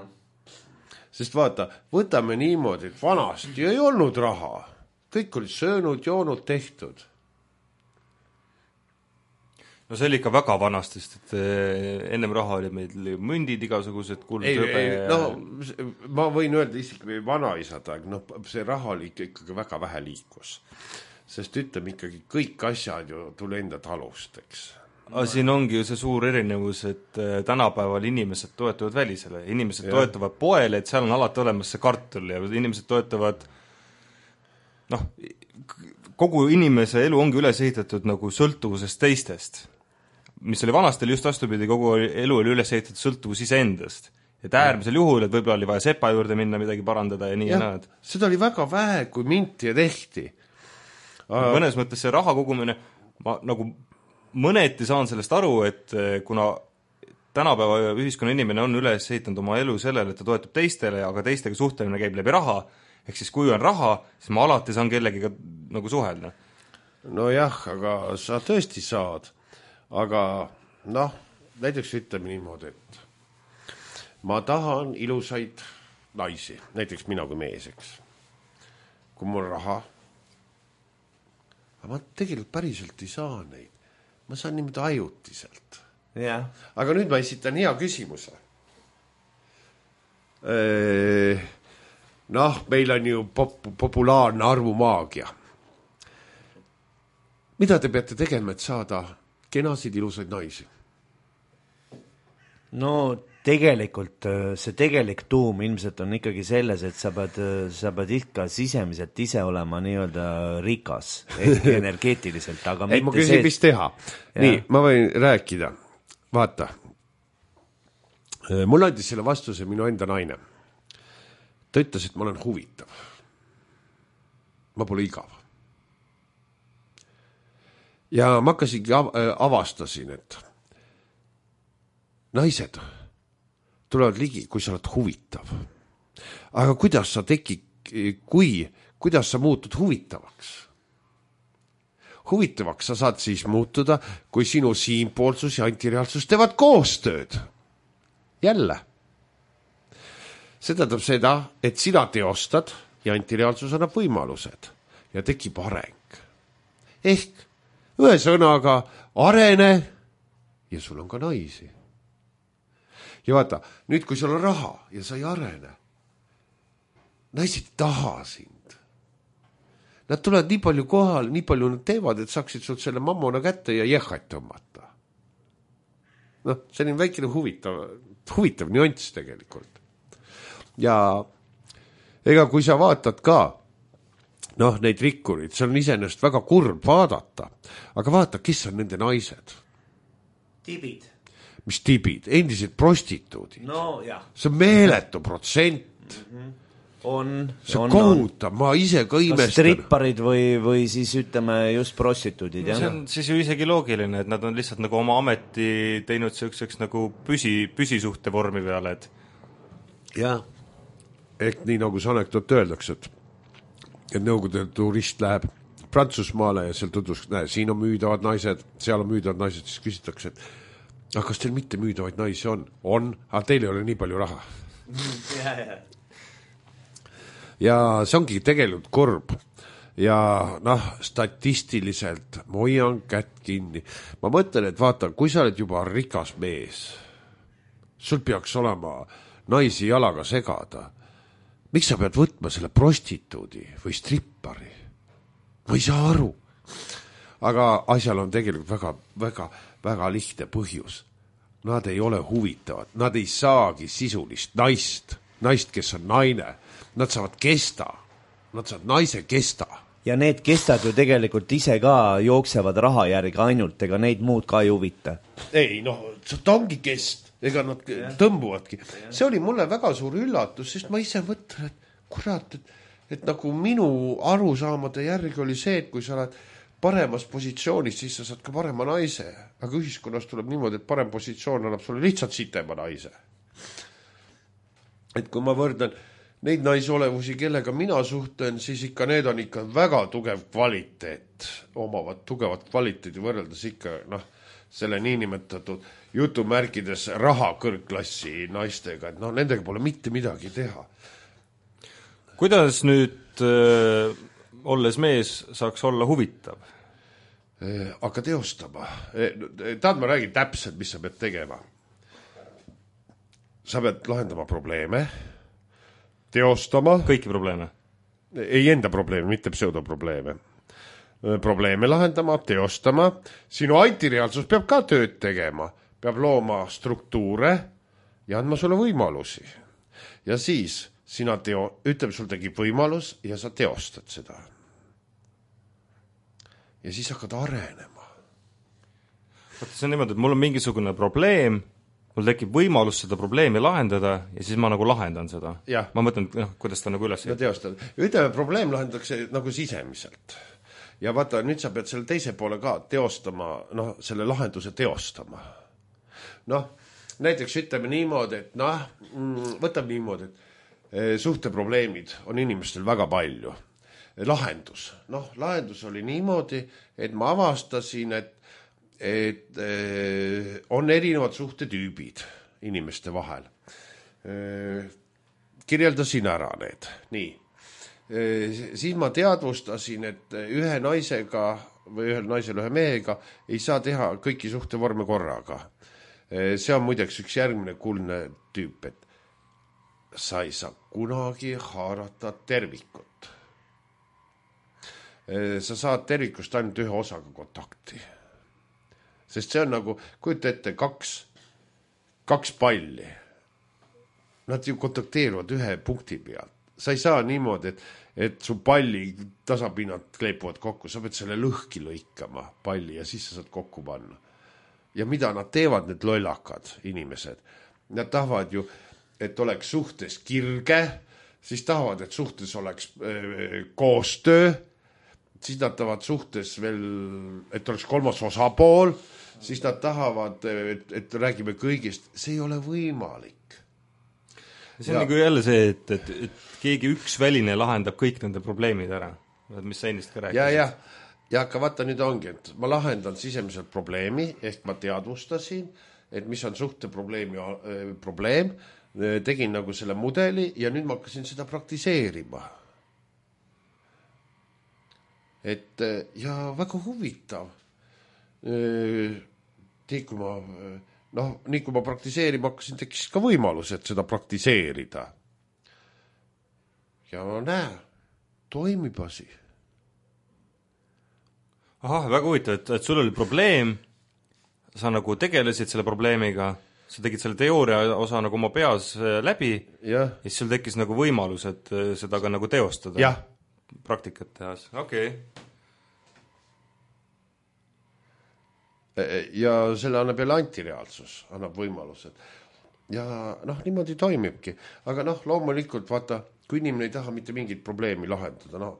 Sest vaata, võtame niimoodi, et vanasti ei olnud raha. Kõik olid söönud, joonud, tehtud. No see oli ikka väga vanastist, et ennem raha oli meil mündid igasugused kuld, ei, rõbe ei, no, ma võin öelda isegi vanaisad aeg, no see raha oli ikkagi väga vähe liikus, sest ütleme ikkagi kõik asjad ju tuli enda talust, eks. Aga siin ongi ju see suur erinevus, et tänapäeval inimesed toetuvad välisele, inimesed ja. toetuvad poele, et seal on alati olemas see kartul ja inimesed toetuvad noh, kogu inimese elu ongi üles ehitatud nagu sõltuvusest teistest, mis oli vanastel just vastupidi, kogu elu oli üles ehitatud sõltuvus iseendast. Et äärmisel juhul, et võib-olla oli vaja sepa juurde minna, midagi parandada ja nii ja, ja näed. Seda oli väga vähe, kui minti ja tehti. Mõnes mõttes see raha kogumine, ma nagu mõneti saan sellest aru, et kuna tänapäeva ühiskonna inimene on üles ehitanud oma elu sellele, et ta toetub teistele, aga teistega suhteline käib läbi raha, ehk siis kui on raha, siis ma alati saan kellegiga nagu suhelda. No jah, aga sa tõesti saad. Aga noh, näiteks ütleme niimoodi, et ma tahan ilusaid naisi, näiteks mina kui mees, eks. Kui mul raha, aga ma tegelikult päriselt ei saa neid. Ma saan niimoodi ajutiselt. Ja. Aga nüüd ma esitan hea küsimuse. Noh, meil on ju pop- populaarne arvumaagia. Mida te peate tegema, et saada kenasid ilusaid naisi? No tegelikult see tegelik tuum ilmselt on ikkagi selles, et sa pead, sa pead ikka sisemiselt ise olema nii-öelda rikas, energeetiliselt, aga ei, ma küsin, mis teha. Ja. Nii, ma võin rääkida. Vaata, mul andis selle vastuse minu enda naine. Ta ütles, et ma olen huvitav. Ma pole igav. Ja ma hakkasingi avastasin, et naised tulevad ligi, kui sa oled huvitav. Aga kuidas sa teki, kui, kuidas sa muutud huvitavaks? Huvitavaks sa saad siis muutuda, kui sinu siinpoolsus ja antireaalsus teevad koostööd. Jälle. See tähendab seda, et sina teostad ja antireaalsus annab võimalused ja tekib areng. Ehk ühe sõnaga arene ja sul on ka naisi. Ja vaata, nüüd kui sul on raha ja sa ei arene, naised taha sind. Nad tulevad nii palju kohal, nii palju nad teevad, et saaksid sul selle mammona kätte ja jehhat tõmmata. Noh, see on väikene huvitav, huvitav nüanss tegelikult. Ja ega kui sa vaatad ka noh, neid rikkurid, see on iseenesest väga kurb vaadata. Aga vaata, kes on nende naised? Tibid. Mis tibid? Endised prostituudid. No jah. See on meeletu protsent. Mm-hmm. On. See on kohutav, ma ise ka imestan. Kas stripparid või, või siis ütleme just prostituudid. No, see on siis ju isegi loogiline, et nad on lihtsalt nagu oma ameti teinud selliseks nagu püsi, püsisuhte vormi peale. Et... jah, ehk nii nagu see anekdoot öeldakse, et et nõukogude turist läheb Prantsusmaale ja seal tutvus, näe, siin on müüdavad naised, seal on müüdavad naised, siis küsitakse, et aga kas teil mitte müüdavaid naisi on? On, aga teil ei ole nii palju raha. ja, ja. ja see ongi tegelikult kurb. Ja noh, statistiliselt ma hoian kätt kinni. Ma mõtlen, et vaata, kui sa oled juba rikas mees, sul peaks olema naisi jalaga segada. Miks sa pead võtma selle prostituudi või strippari? Ma ei saa aru. Aga asjal on tegelikult väga, väga, väga lihtne põhjus. Nad ei ole huvitavad. Nad ei saagi sisulist naist. Naist, kes on naine. Nad saavad kesta. nad saavad naise kesta. Ja need kestad ju tegelikult ise ka jooksevad raha järgi ainult, ega neid muud ka ei huvita. Ei, noh, ta ongi kest, ega nad ja. tõmbuvadki. See oli mulle väga suur üllatus, sest ma ise mõtlen, et kurat, et, et nagu minu arusaamade järgi oli see, et kui sa oled paremas positsioonis, siis sa saad ka parema naise. Aga ühiskonnas tuleb niimoodi, et parem positsioon annab sulle lihtsalt sitema naise. Et kui ma võrdan neid naisolevusi, kellega mina suhtlen, siis ikka need on ikka väga tugev kvaliteet, omavad tugevat kvaliteedi võrreldes ikka, noh, selle niinimetatud jutumärkides raha kõrgklassi naistega, et noh, nendega pole mitte midagi teha. Kuidas nüüd äh, olles mees saaks olla huvitav? Äh, aga teostama. Äh, taad ma räägin täpselt, mis sa pead tegema. Sa pead lahendama probleeme, teostama. Kõiki probleeme? Ei enda probleeme, mitte pseudoprobleeme. Probleeme lahendama, teostama. Sinu antireaalsus peab ka tööd tegema. Peab looma struktuure ja andma sulle võimalusi. Ja siis sina teo, ütleb, sul tegib võimalus ja sa teostad seda. Ja siis hakkad arenema. See on niimoodi, et mul on mingisugune probleem, mul tekib võimalus seda probleemi lahendada ja siis ma nagu lahendan seda. Ja. Ma mõtlen, noh, kuidas ta nagu üles no, teostad. Ütleme, probleem lahendatakse nagu sisemiselt. Ja vaata, nüüd sa pead selle teise poole ka teostama, noh, selle lahenduse teostama. Noh, näiteks ütleme niimoodi, et noh, võtab niimoodi, et suhteprobleemid on inimestel väga palju. Lahendus. Noh, lahendus oli niimoodi, et ma avastasin, et et eh, on erinevad suhtetüübid inimeste vahel. Eh, kirjeldasin ära need. Nii. Eh, siis ma teadvustasin, et ühe naisega või ühel naisel ühe mehega ei saa teha kõiki suhtevorme korraga. Eh, see on muideks üks järgmine kuldne tüüp, et sa ei saa kunagi haarata tervikut. Eh, sa saad tervikust ainult ühe osaga kontakti. Sest see on nagu, kujuta ette, kaks, kaks palli. Nad ju kontakteeruvad ühe punkti pealt. Sa ei saa niimoodi, et, et su palli tasapinnad kleipuvad kokku. Sa pead selle lõhki lõikama palli ja siis sa saad kokku panna. Ja mida nad teevad, need lollakad inimesed? Nad tahavad ju, et oleks suhtes kirge, siis tahavad, et suhtes oleks äh, koostöö, siis nad tahavad suhtes veel, et oleks kolmas osapool, siis nad tahavad, et, et räägime kõigist. See ei ole võimalik. See on ja. Nagu jälle see, et, et, et keegi üks väline lahendab kõik nende probleemid ära. Mis sa ennist ka rääkisid. Ja, ja. Ja aga vaata nüüd ongi, et ma lahendan sisemiselt probleemi, ehk ma teadvustasin, et mis on suhteprobleemi äh, probleem, tegin nagu selle mudeli ja nüüd ma hakkasin seda praktiseerima. Et ja väga huvitav. Nii kui ma, noh, nii kui ma praktiseerima hakkasin, tekkis ka võimalus, et seda praktiseerida. Ja näe, toimib asi. Ahah, väga huvitav, et, et sul oli probleem, sa nagu tegelesid selle probleemiga, sa tegid selle teooria osa nagu oma peas läbi ja, ja siis sul tekkis nagu võimalus, et seda ka nagu teostada. Ja. Praktikat tehas, okei. Okay. Ja selle annab jälle antireaalsus, annab võimalused. Ja noh, niimoodi toimibki. Aga noh, loomulikult vaata, kui inimene ei taha mitte mingit probleemi lahendada, noh,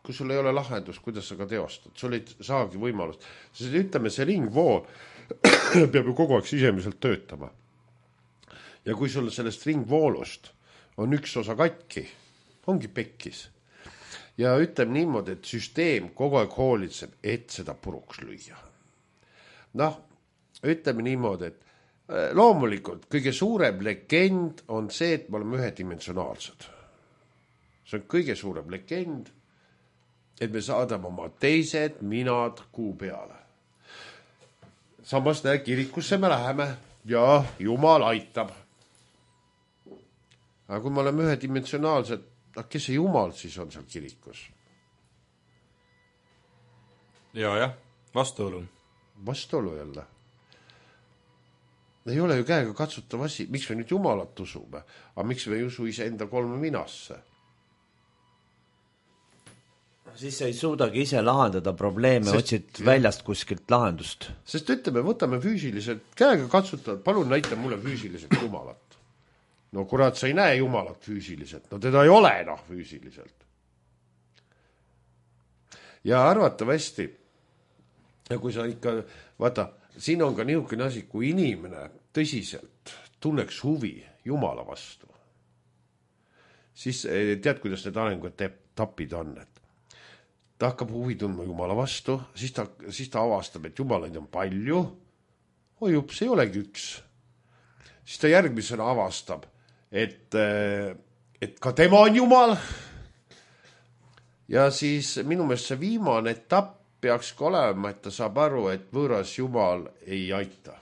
kui sul ei ole lahendus, kuidas sa ka teostad, sul ei saagi võimalust. Sest ütleme, see ringvool peab ju kogu aeg sisemiselt töötama. Ja kui sul sellest ringvoolust on üks osa katki, ongi pekkis. Ja ütleme niimoodi, et süsteem kogu aeg hoolitseb, et seda puruks lüüa. Noh, ütleme niimoodi, et loomulikult kõige suurem legend on see, et me oleme ühedimensionaalsed. See on kõige suurem legend, et me saadame oma teised minad kuu peale. Samas näe, kirikusse me läheme ja Jumal aitab. Aga kui me oleme ühedimensionaalsed, kes see Jumal siis on seal kirikus? Ja, jah, vastuolu. Vastuolu jälle. Ei ole ju käega katsutav asi. Miks me nüüd Jumalat usume? Aga miks me ei usu ise enda kolme minasse? siis sa ei suudagi ise lahendada probleeme, sest, otsid jah. Väljast kuskilt lahendust. Sest ütleme, võtame füüsiliselt, käega katsutavad, palun näita mulle füüsiliselt jumalat. No kurat, sa ei näe jumalat füüsiliselt, no teda ei ole noh füüsiliselt. Ja arvatavasti, ja kui sa ikka, vaata, siin on ka niisugune asi, kui inimene tõsiselt tunneks huvi jumala vastu, siis tead, kuidas need arenguetapid on, et ta hakkab huvi tundma jumala vastu, siis ta, siis ta avastab, et jumalaid on palju, oi jups, ei olegi üks. Siis ta järgmisena avastab, et, et ka tema on jumal. Ja siis minu meelest see viimane etapp peaks ka olema, et ta saab aru, et võõras jumal ei aita.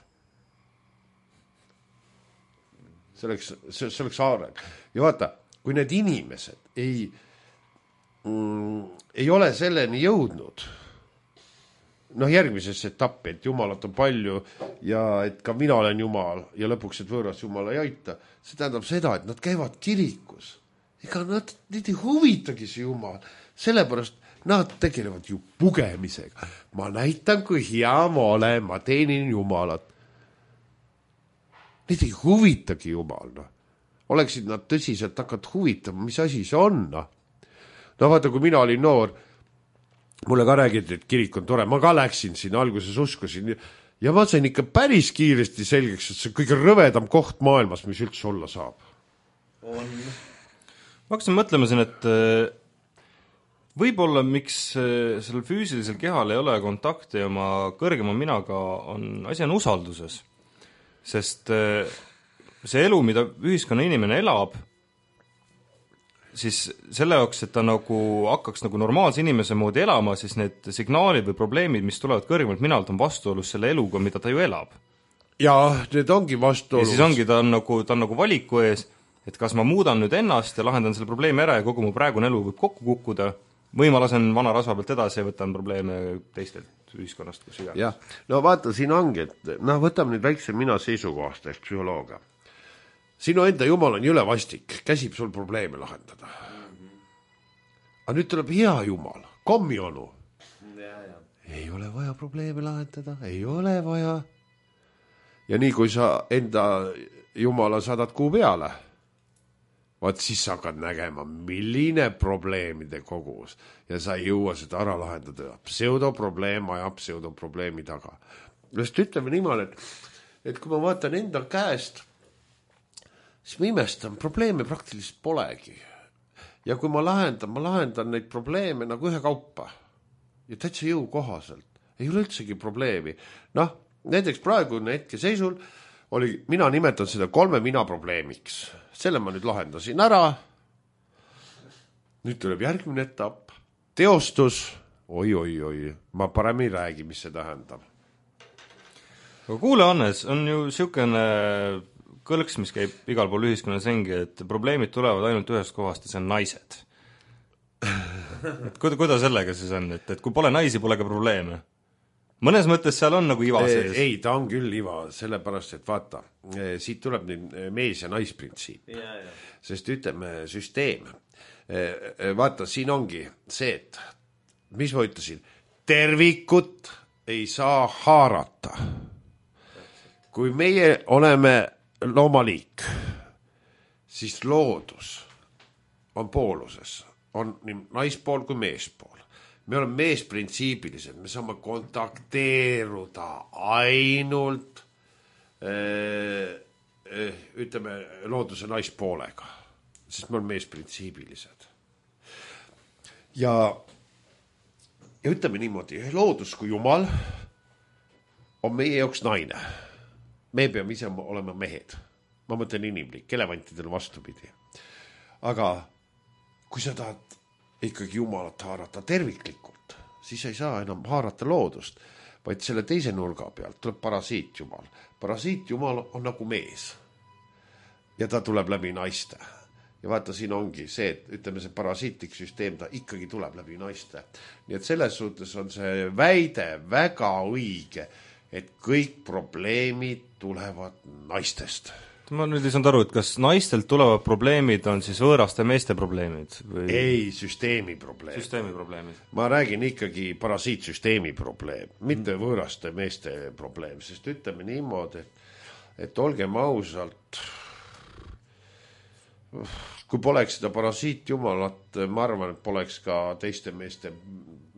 See oleks, see, see oleks areng. Ja vaata, kui need inimesed ei, mm, ei ole selleni jõudnud, noh järgmisesse etappi, et jumalat on palju ja et ka mina olen jumal ja lõpuks, et võõras jumal ei aita, see tähendab seda, et nad käivad kirikus. Ega nad, neid ei huvitagi see jumal, sellepärast nad tegelevad ju pugemisega. Ma näitan, kui hea ma olen, ma teenin jumalat. Neid ei huvitagi jumal, noh. Oleksid nad tõsiselt hakanud huvitama, mis asi see on, noh. No vaata, kui mina olin noor, mulle ka räägiti, et kirik on tore, ma ka läksin siin, alguses uskusin ja ma sain ikka päris kiiresti selgeks, et see on kõige rõvedam koht maailmas, mis üldse olla saab. On. Ma hakkasin mõtlema siin, et võib-olla miks sellel füüsilisel kehal ei ole kontakti oma kõrgema minaga, on asi on usalduses. Sest see elu, mida ühiskonna inimene elab, siis selle jaoks, et ta nagu hakkaks nagu normaalse inimese moodi elama, siis need signaalid või probleemid, mis tulevad kõrgemalt minalt, on vastuolus selle eluga, mida ta ju elab. Ja need ongi vastuolus. Ja siis ongi, ta on nagu, ta on nagu valiku ees, et kas ma muudan nüüd ennast ja lahendan selle probleemi ära ja kogu mu praegune elu võib kokku kukkuda, või ma lasen vana rasva pealt edasi ja võtan probleeme teistelt ühiskonnast, kus iganes. Jah, no vaata, siin ongi, et noh, võtame nüüd väikse mina seisukohast ehk psühholooga. Sinu enda jumal on jõle vastik, käsib sul probleeme lahendada. Aga nüüd tuleb hea jumal, kommionu. Ja, ja. Ei ole vaja probleeme lahendada, ei ole vaja. Ja nii kui sa enda jumala saadad kuu peale, vaat siis sa hakkad nägema, milline probleemide kogus ja sa ei jõua seda ära lahendada. Pseudoprobleem ajab pseudoprobleemi taga. Just ütleme niimoodi, et, et kui ma vaatan enda käest, siis ma imestan, probleeme praktiliselt polegi. Ja kui ma lahendan, ma lahendan neid probleeme nagu ühe kaupa. Ja täitsa jõu kohaselt. Ei ole üldsegi probleemi. Noh, näiteks praegu hetke seisul oli, mina nimetan seda kolme mina probleemiks. Selle ma nüüd lahendasin ära. Nüüd tuleb järgmine etapp. Teostus. Oi, oi, oi. Ma parem ei räägi, mis see tähendab. Aga kuule, Hannes, on ju siukene kõlks, mis käib igal pool ühiskonnas ringi, et probleemid tulevad ainult ühest kohast ja see on naised. Et kuida, kuida sellega siis on, et, et kui pole naisi, pole ka probleeme? Mõnes mõttes seal on nagu iva sees. Ei, ta on küll iva, sellepärast, et vaata, siit tuleb nüüd mees- ja naisprintsiip. Ja, ja. Sest ütleme, süsteem. Vaata, siin ongi see, et mis ma ütlesin, tervikut ei saa haarata. Kui meie oleme loomaliik, siis loodus on pooluses, on nii naispool kui meespool. Me oleme meesprintsiibilised, me saame kontakteeruda ainult äh, äh, ütleme looduse naispoolega, sest me oleme meesprintsiibilised. Ja, ja ütleme niimoodi, loodus kui jumal on meie jaoks naine. Me peame ise olema mehed. Ma mõtlen inimlik, elevantidel vastupidi. Aga kui sa tahad ikkagi jumalat haarata terviklikult, siis ei saa enam haarata loodust, vaid selle teise nurga pealt tuleb parasiit jumal. Parasiit jumal on nagu mees. Ja ta tuleb läbi naiste. Ja vaata, siin ongi see, et ütleme see parasiitlik süsteem, ta ikkagi tuleb läbi naiste. Nii et selles suhtes on see väide väga õige, et kõik probleemid tulevad naistest. ma nüüd ei saanud aru, et kas naistelt tulevad probleemid on siis võõraste meeste probleemid või? Ei, süsteemi probleem. Süsteemi probleemid. Ma räägin ikkagi parasiitsüsteemi probleem, mitte võõraste meeste probleem, sest ütleme niimoodi, et, et olgem ausalt, kui poleks seda parasiitjumalat, ma arvan, et poleks ka teiste meeste,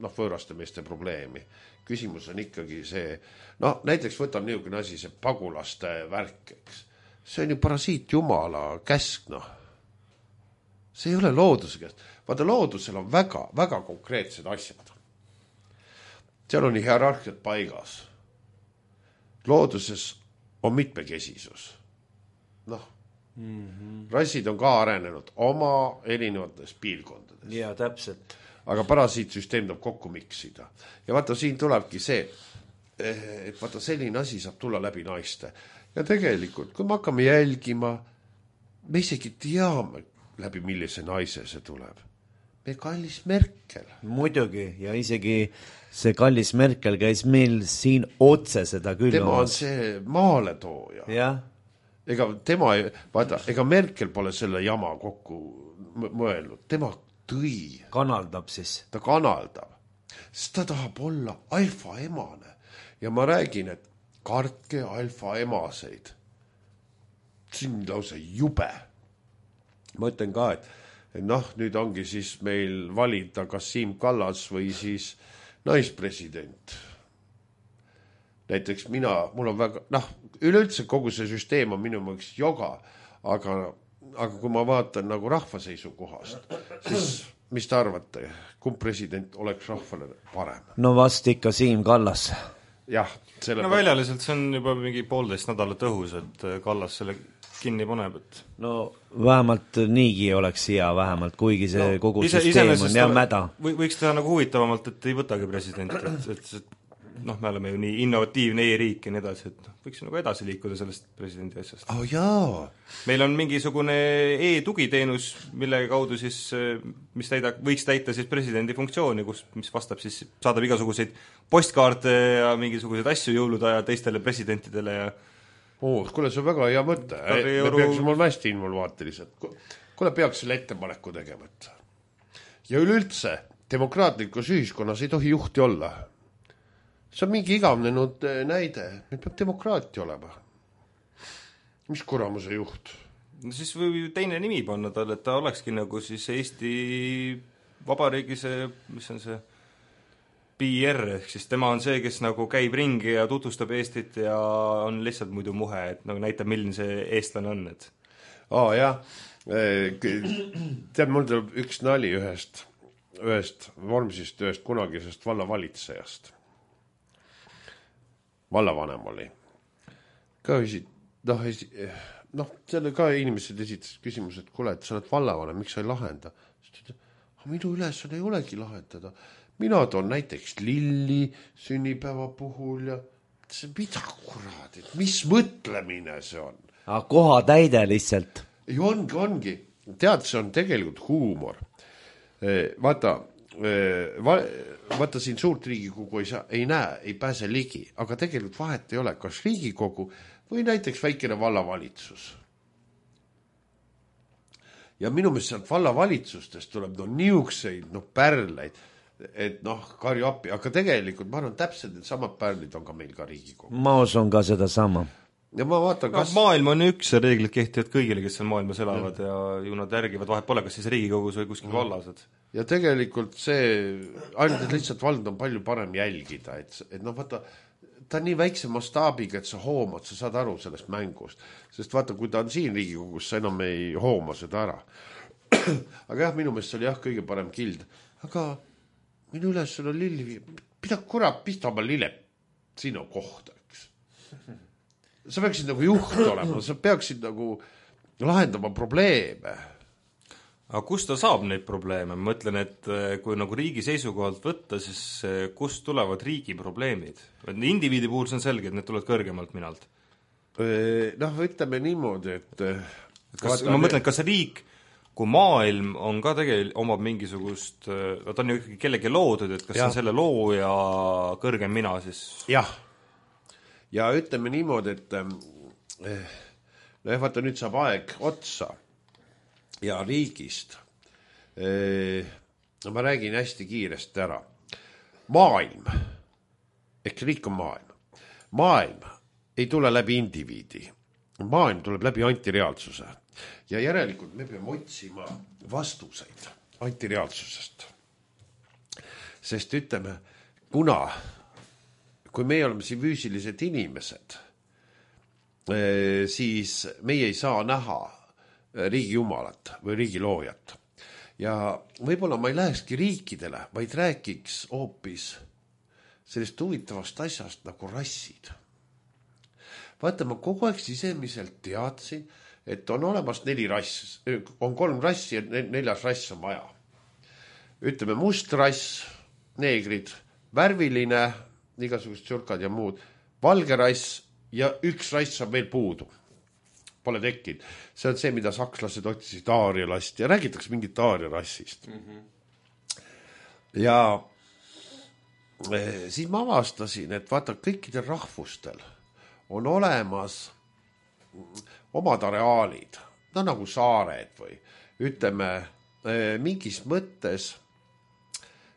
noh, võõraste meeste probleemi. Küsimus on ikkagi see, noh, näiteks võtan niisugune asi, see pagulaste värk, eks. See on ju parasiit jumala käsk, noh. See ei ole looduse käest. Vaata, loodusel on väga, väga konkreetsed asjad. Seal on hierarhiat paigas. Looduses on mitmekesisus. Noh, mm-hmm. rassid on ka arenenud oma erinevates piirkondades. Ja, täpselt. Aga parasiitsüsteem tuleb kokku miksida. Ja vaata, siin tulebki see, et vaata, selline asi saab tulla läbi naiste. Ja tegelikult, kui me hakkame jälgima, me isegi teame läbi millise naise see tuleb. Me kallis Merkel. Muidugi, ja isegi see kallis Merkel käis meil siin otse seda küll. Tema on see maaletooja. Jah. Ega tema, vaata, ega Merkel pole selle jama kokku mõelnud. Tema tõi. Kanaldab siis. Ta kanaldab. Sest ta tahab olla alfa emane. Ja ma räägin, et kartke alfa emaseid. See on lausa jube. Ma ütlen ka, et, et noh, nüüd ongi siis meil valida kas Siim Kallas või siis naispresident. Näiteks mina, mul on väga, noh, üleüldse kogu see süsteem on minu mõttes joga, aga, aga kui ma vaatan nagu rahva seisukohast, siis mis te arvate, kumb president oleks rahvale parem? No vast ikka Siim Kallas. Jah, selle no väljaliselt see on juba mingi poolteist nädalat õhus, et Kallas selle kinni paneb, et no vähemalt niigi oleks hea vähemalt, kuigi see no, kogu ise, süsteem on jah mäda. Või, võiks teha nagu huvitavamalt, et ei võtagi president, et, et, et noh, me oleme ju nii innovatiivne e-riik ja nii edasi, et võiks nagu edasi liikuda sellest presidendi asjast. Oh, jaa. Meil on mingisugune e-tugiteenus, mille kaudu siis, mis täida, võiks täita siis presidendi funktsiooni, kus, mis vastab siis, saadab igasuguseid postkaarte ja mingisuguseid asju jõuluda ja teistele presidentidele ja oh, kuule, see on väga hea mõte. Me euro... peaks mul hästi involvaatilised. Kuule, peaks selle ettepaneku tegema. Ja üleüldse, demokraatlikus ühiskonnas ei tohi juhti olla. See on mingi igavnenud näide. Meil peab demokraatia olema. Mis kuramuse juht? No siis või teine nimi panna talle, et ta olekski nagu siis Eesti Vabariigi see, mis on see P R, ehk siis tema on see, kes nagu käib ringi ja tutvustab Eestit ja on lihtsalt muidu muhe, et nagu näitab, milline see eestlane on. Et... Aa, jah. Tead, mul tuleb üks nali ühest, ühest vormsist, ühest kunagisest vallavalitsejast. Vallavanem oli. Ka esit... noh, esi... noh, selle ka inimesed esitasid küsimus, et kuule, et sa oled vallavanem, miks sa ei lahenda? Minu ülesanne ei olegi lahendada. Mina toon näiteks lilli sünnipäeva puhul ja see mida kurad, et mis mõtlemine see on? Aga koha täide lihtsalt. Ei ongi, ongi. Tead, see on tegelikult huumor. Vaata, vaata siin suurt Riigikogu ei, saa, ei näe, ei pääse ligi, aga tegelikult vahet ei ole, kas Riigikogu või näiteks väikene vallavalitsus. Ja minu meelest sealt vallavalitsustest tuleb no niukseid no pärleid, et noh, karju appi, aga tegelikult ma arvan täpselt, et samad pärlid on ka meil ka Riigikogu. Ma usun ka seda sama. Ja ma vaatan, kas... no, maailm on üks ja reeglid kehtivad kõigile, kes seal maailmas elavad ja, ja ju nad järgivad, vahet pole, kas siis Riigikogus või kuskil vallased. Ja tegelikult see, ainult et lihtsalt vald on palju parem jälgida, et, et noh, vaata, ta on nii väikse mastaabiga, et sa hoomad, sa saad aru sellest mängust. Sest vaata, kui ta on siin Riigikogus, sa enam ei hooma seda ära. Aga jah, minu meelest see oli jah kõige parem kild. Aga minu üles on lilli, mida kurat pista oma lille sinu kohta, eks. Sa peaksid nagu juht olema, sa peaksid nagu lahendama probleeme. Aga kust ta saab neid probleeme? Ma mõtlen, et kui nagu riigi seisukohalt võtta, siis kust tulevad riigi probleemid? Indiviidi puhul see on selge, et need tulevad kõrgemalt minalt. Noh, ütleme niimoodi, et... Kas, ma mõtlen, kas riik, kui maailm on ka tegelikult omab mingisugust, ta on ju ikkagi kellegi loodud, et kas ja. On selle loo ja kõrgem mina siis? Jah. Ja ütleme niimoodi, et no jah, vaata nüüd saab aeg otsa ja riigist. No ma räägin hästi kiiresti ära. Maailm, ehk riik on maailm. Maailm ei tule läbi indiviidi. Maailm tuleb läbi antireaalsuse. Ja järelikult me peame otsima vastuseid antireaalsusest. Sest ütleme, kuna, kui me oleme siin füüsilised inimesed, siis meie ei saa näha riigi jumalat või riigi loojat. Ja võib-olla ma ei lähekski riikidele, vaid rääkiks hoopis sellest huvitavast asjast nagu rassid. Vaata, ma kogu aeg sisemiselt teadsin, et on olemas neli rass, on kolm rassi ja neljas rass on vaja. Ütleme must rass, neegrid, värviline, igasugused tšurkad ja muud, valge rass ja üks rass on veel puudu. Pole tekkinud. See on see, mida sakslased otsisid aarialast ja räägitakse mingit aariarassist. Mm-hmm. Ja siis ma avastasin, et vaata, kõikidel rahvustel on olemas omad areaalid, no nagu saared või ütleme, mingis mõttes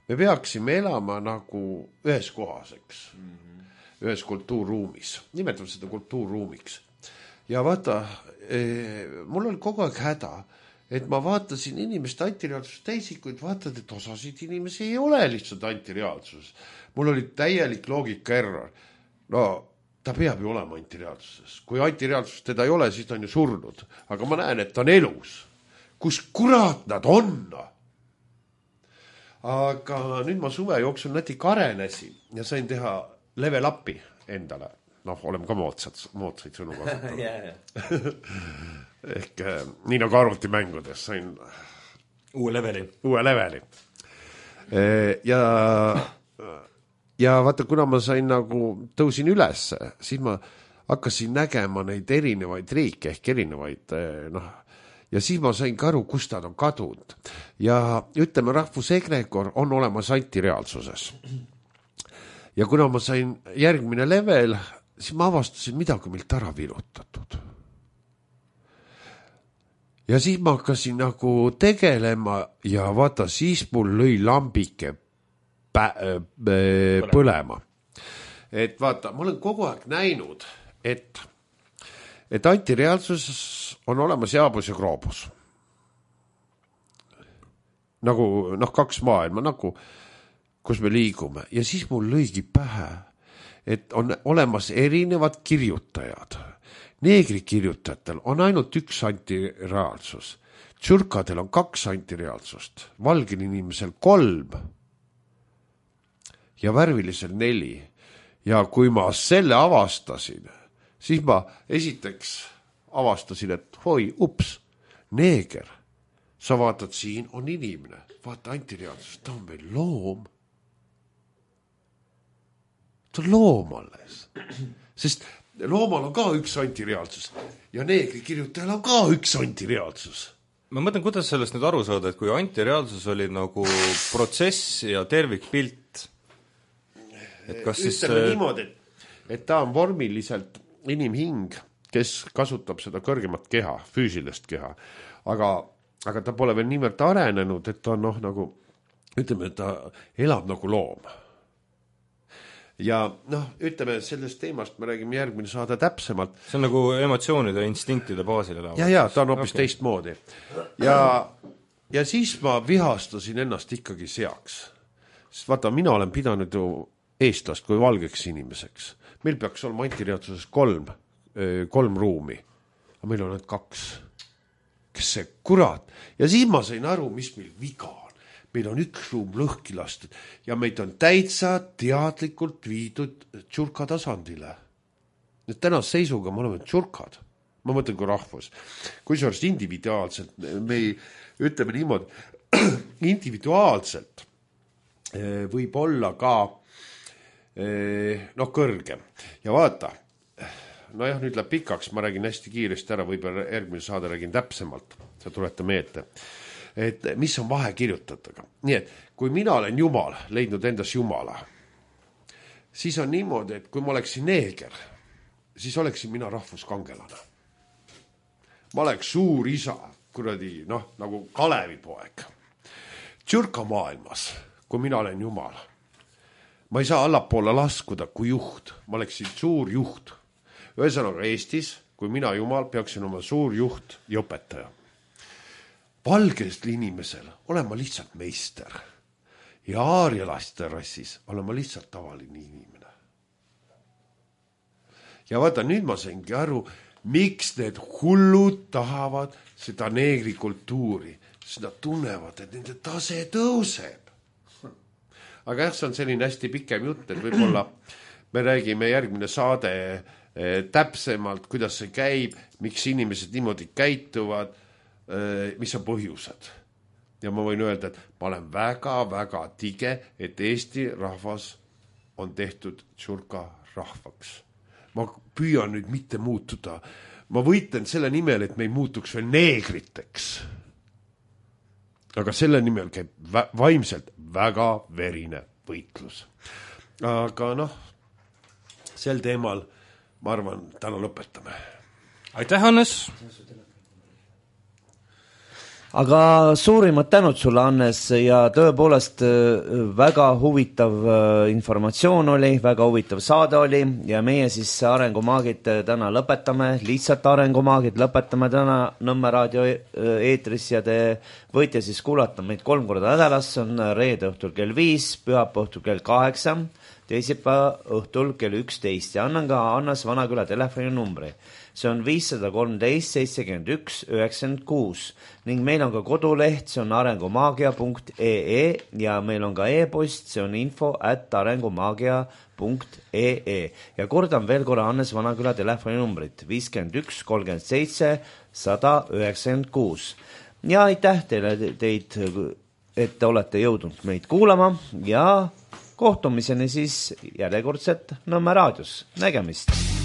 me peaksime elama nagu ühes kohas, eks, mm-hmm. ühes kultuurruumis. Nimetame seda kultuurruumiks. Ja vaata, mul oli kogu aeg häda, et ma vaatasin inimeste antireaalsust täisikuid, vaatad, et osasid inimesi ei ole lihtsalt antireaalsus. Mul oli täielik loogika error. No, ta peab ju olema antireaalsuses. Kui antireaalsus teda ei ole, siis ta on ju surnud. Aga ma näen, et ta on elus. Kus kurat nad on? Aga nüüd ma suve jooksul natuke arenesin ja sain teha level upi endale. Noh, oleme ka moodsad, moodsaid sõnu kasutanud. yeah. Ehk nii nagu arvutimängudes sain uue leveli. Uue leveli. Ja, ja vaata, kuna ma sain nagu tõusin üles, siis ma hakkasin nägema neid erinevaid riike ehk erinevaid, noh, ja siis ma sain ka aru, kust nad on kadunud. Ja ütleme, rahvusegregor on olemas antireaalsuses. Ja kuna ma sain järgmine level, siis ma avastasin midagi milt ära virutatud. Ja siis ma hakkasin nagu tegelema ja vaata, siis mul lõi lambike pä- pä- põlema. Et vaata, ma olen kogu aeg näinud, et, et antireaalsus on olemas jaabus ja kroobus. Nagu, noh, kaks maailma, nagu, kus me liigume. Ja siis mul lõigi pähe, et on olemas erinevad kirjutajad. Neegri kirjutajatel on ainult üks antireaalsus. Tšurkadel on kaks antireaalsust. Valgel inimesel kolm ja värvilisel neli. Ja kui ma selle avastasin, siis ma esiteks avastasin, et hoi, ups, neeger. Sa vaatad, siin on inimene. Vaata antireaalsus, ta on meil loom. Ta on loom alles. Sest loomal on ka üks antireaalsus ja neegri kirjutajal on ka üks antireaalsus. Ma mõtlen, kuidas sellest nüüd aru saada, et kui antireaalsus oli nagu protsess ja tervikpilt, et kas siis... Ütleme niimoodi, et, et ta on vormiliselt inimhing, kes kasutab seda kõrgemat keha, füüsilist keha, aga, aga ta pole veel niivõrd arenenud, et ta on noh, nagu, ütleme, et ta elab nagu loom. Ja noh, ütleme, sellest teemast me räägime järgmine saada täpsemalt. See on nagu emotsioonide ja instinktide baasil elavad. Ja, ja, ta on hoopis okay. Teistmoodi. Ja, ja siis ma vihastasin ennast ikkagi seaks. Sest vaata, mina olen pidanud ju eestlast kui valgeks inimeseks. Meil peaks olema antireaalsuses kolm, kolm ruumi. Aga meil on need kaks. Kes see kurat? Ja siis ma sain aru, mis meil viga on. Meil on üks ruum lõhki lastud ja meid on täitsa teadlikult viidud tšurka tasandile. Nüüd tänast seisuga me oleme tšurkad. Ma mõtlen kui rahvus. Kui see on individuaalselt, me ei, ütleme niimoodi, individuaalselt võib olla ka noh, kõrgem. Ja vaata, no jah, nüüd läheb pikaks, ma räägin hästi kiiresti ära, võib-olla järgmine saade räägin täpsemalt, sa tulete meelde. Et mis on vahe kirjutatega. Nii et kui mina olen Jumal, leidnud endas Jumala, siis on niimoodi, et kui ma oleksin neeger, siis oleksin mina rahvuskangelane. ma oleks suur isa, kuradi, noh, nagu Kalevipoeg. Tšurka maailmas, kui mina olen jumal, ma ei saa allapoole laskuda kui juht, ma oleksin suur juht. Ühesõnaga Eestis, kui mina jumal, peaksin oma suur juht ja õpetaja. Valgest inimesel olen ma lihtsalt meister ja aarialaste rassis olen ma lihtsalt tavaline inimene. Ja vaata, nüüd ma saingi aru, miks need hullud tahavad seda neegrikultuuri, sest nad tunnevad, et nende tase tõuseb. Aga jah, see on selline hästi pikem jutt, et võib-olla me räägime järgmine saade eh, täpsemalt, kuidas see käib, miks inimesed niimoodi käituvad, eh, mis on põhjused. Ja ma võin öelda, et ma olen väga-väga tige, et Eesti rahvas on tehtud tšurka rahvaks. Ma püüan nüüd mitte muutuda. Ma võitlen selle nimel, et me ei muutuks veel neegriteks. Aga selle nimel käib vä- vaimselt väga verine võitlus. Aga noh, sel teemal, ma arvan, täna lõpetame. Aitäh, Hannes! Aga suurimad tänud sulle, Hannes, ja tõepoolest väga huvitav informatsioon oli, väga huvitav saade oli ja meie siis Arengumaagid täna lõpetame, lihtsalt Arengumaagid lõpetame täna Nõmme raadio eetris ja te võite siis kuulata meid kolm korda nädalas, see on reede õhtul kell viis, pühapäeva õhtul kell kaheksa, teisipäeva õhtul kell üksteist ja annan ka Hannes Vanaküla telefoninumbri. See on viissada kolmteist seitsekümmend üks üheksakümmend kuus ning meil on ka koduleht, see on arengumaagia punkt ee ja meil on ka e-post, see on info at arengumaagia punkt ee ja kordan veel korra Hannes Vanaküla telefoninumbrit viiskümmend üks kolmkümmend seitse sada üheksakümmend kuus. Ja aitäh teile teid, et te olete jõudnud meid kuulama ja kohtumiseni siis järjekordselt Nõmme raadios. Nägemist!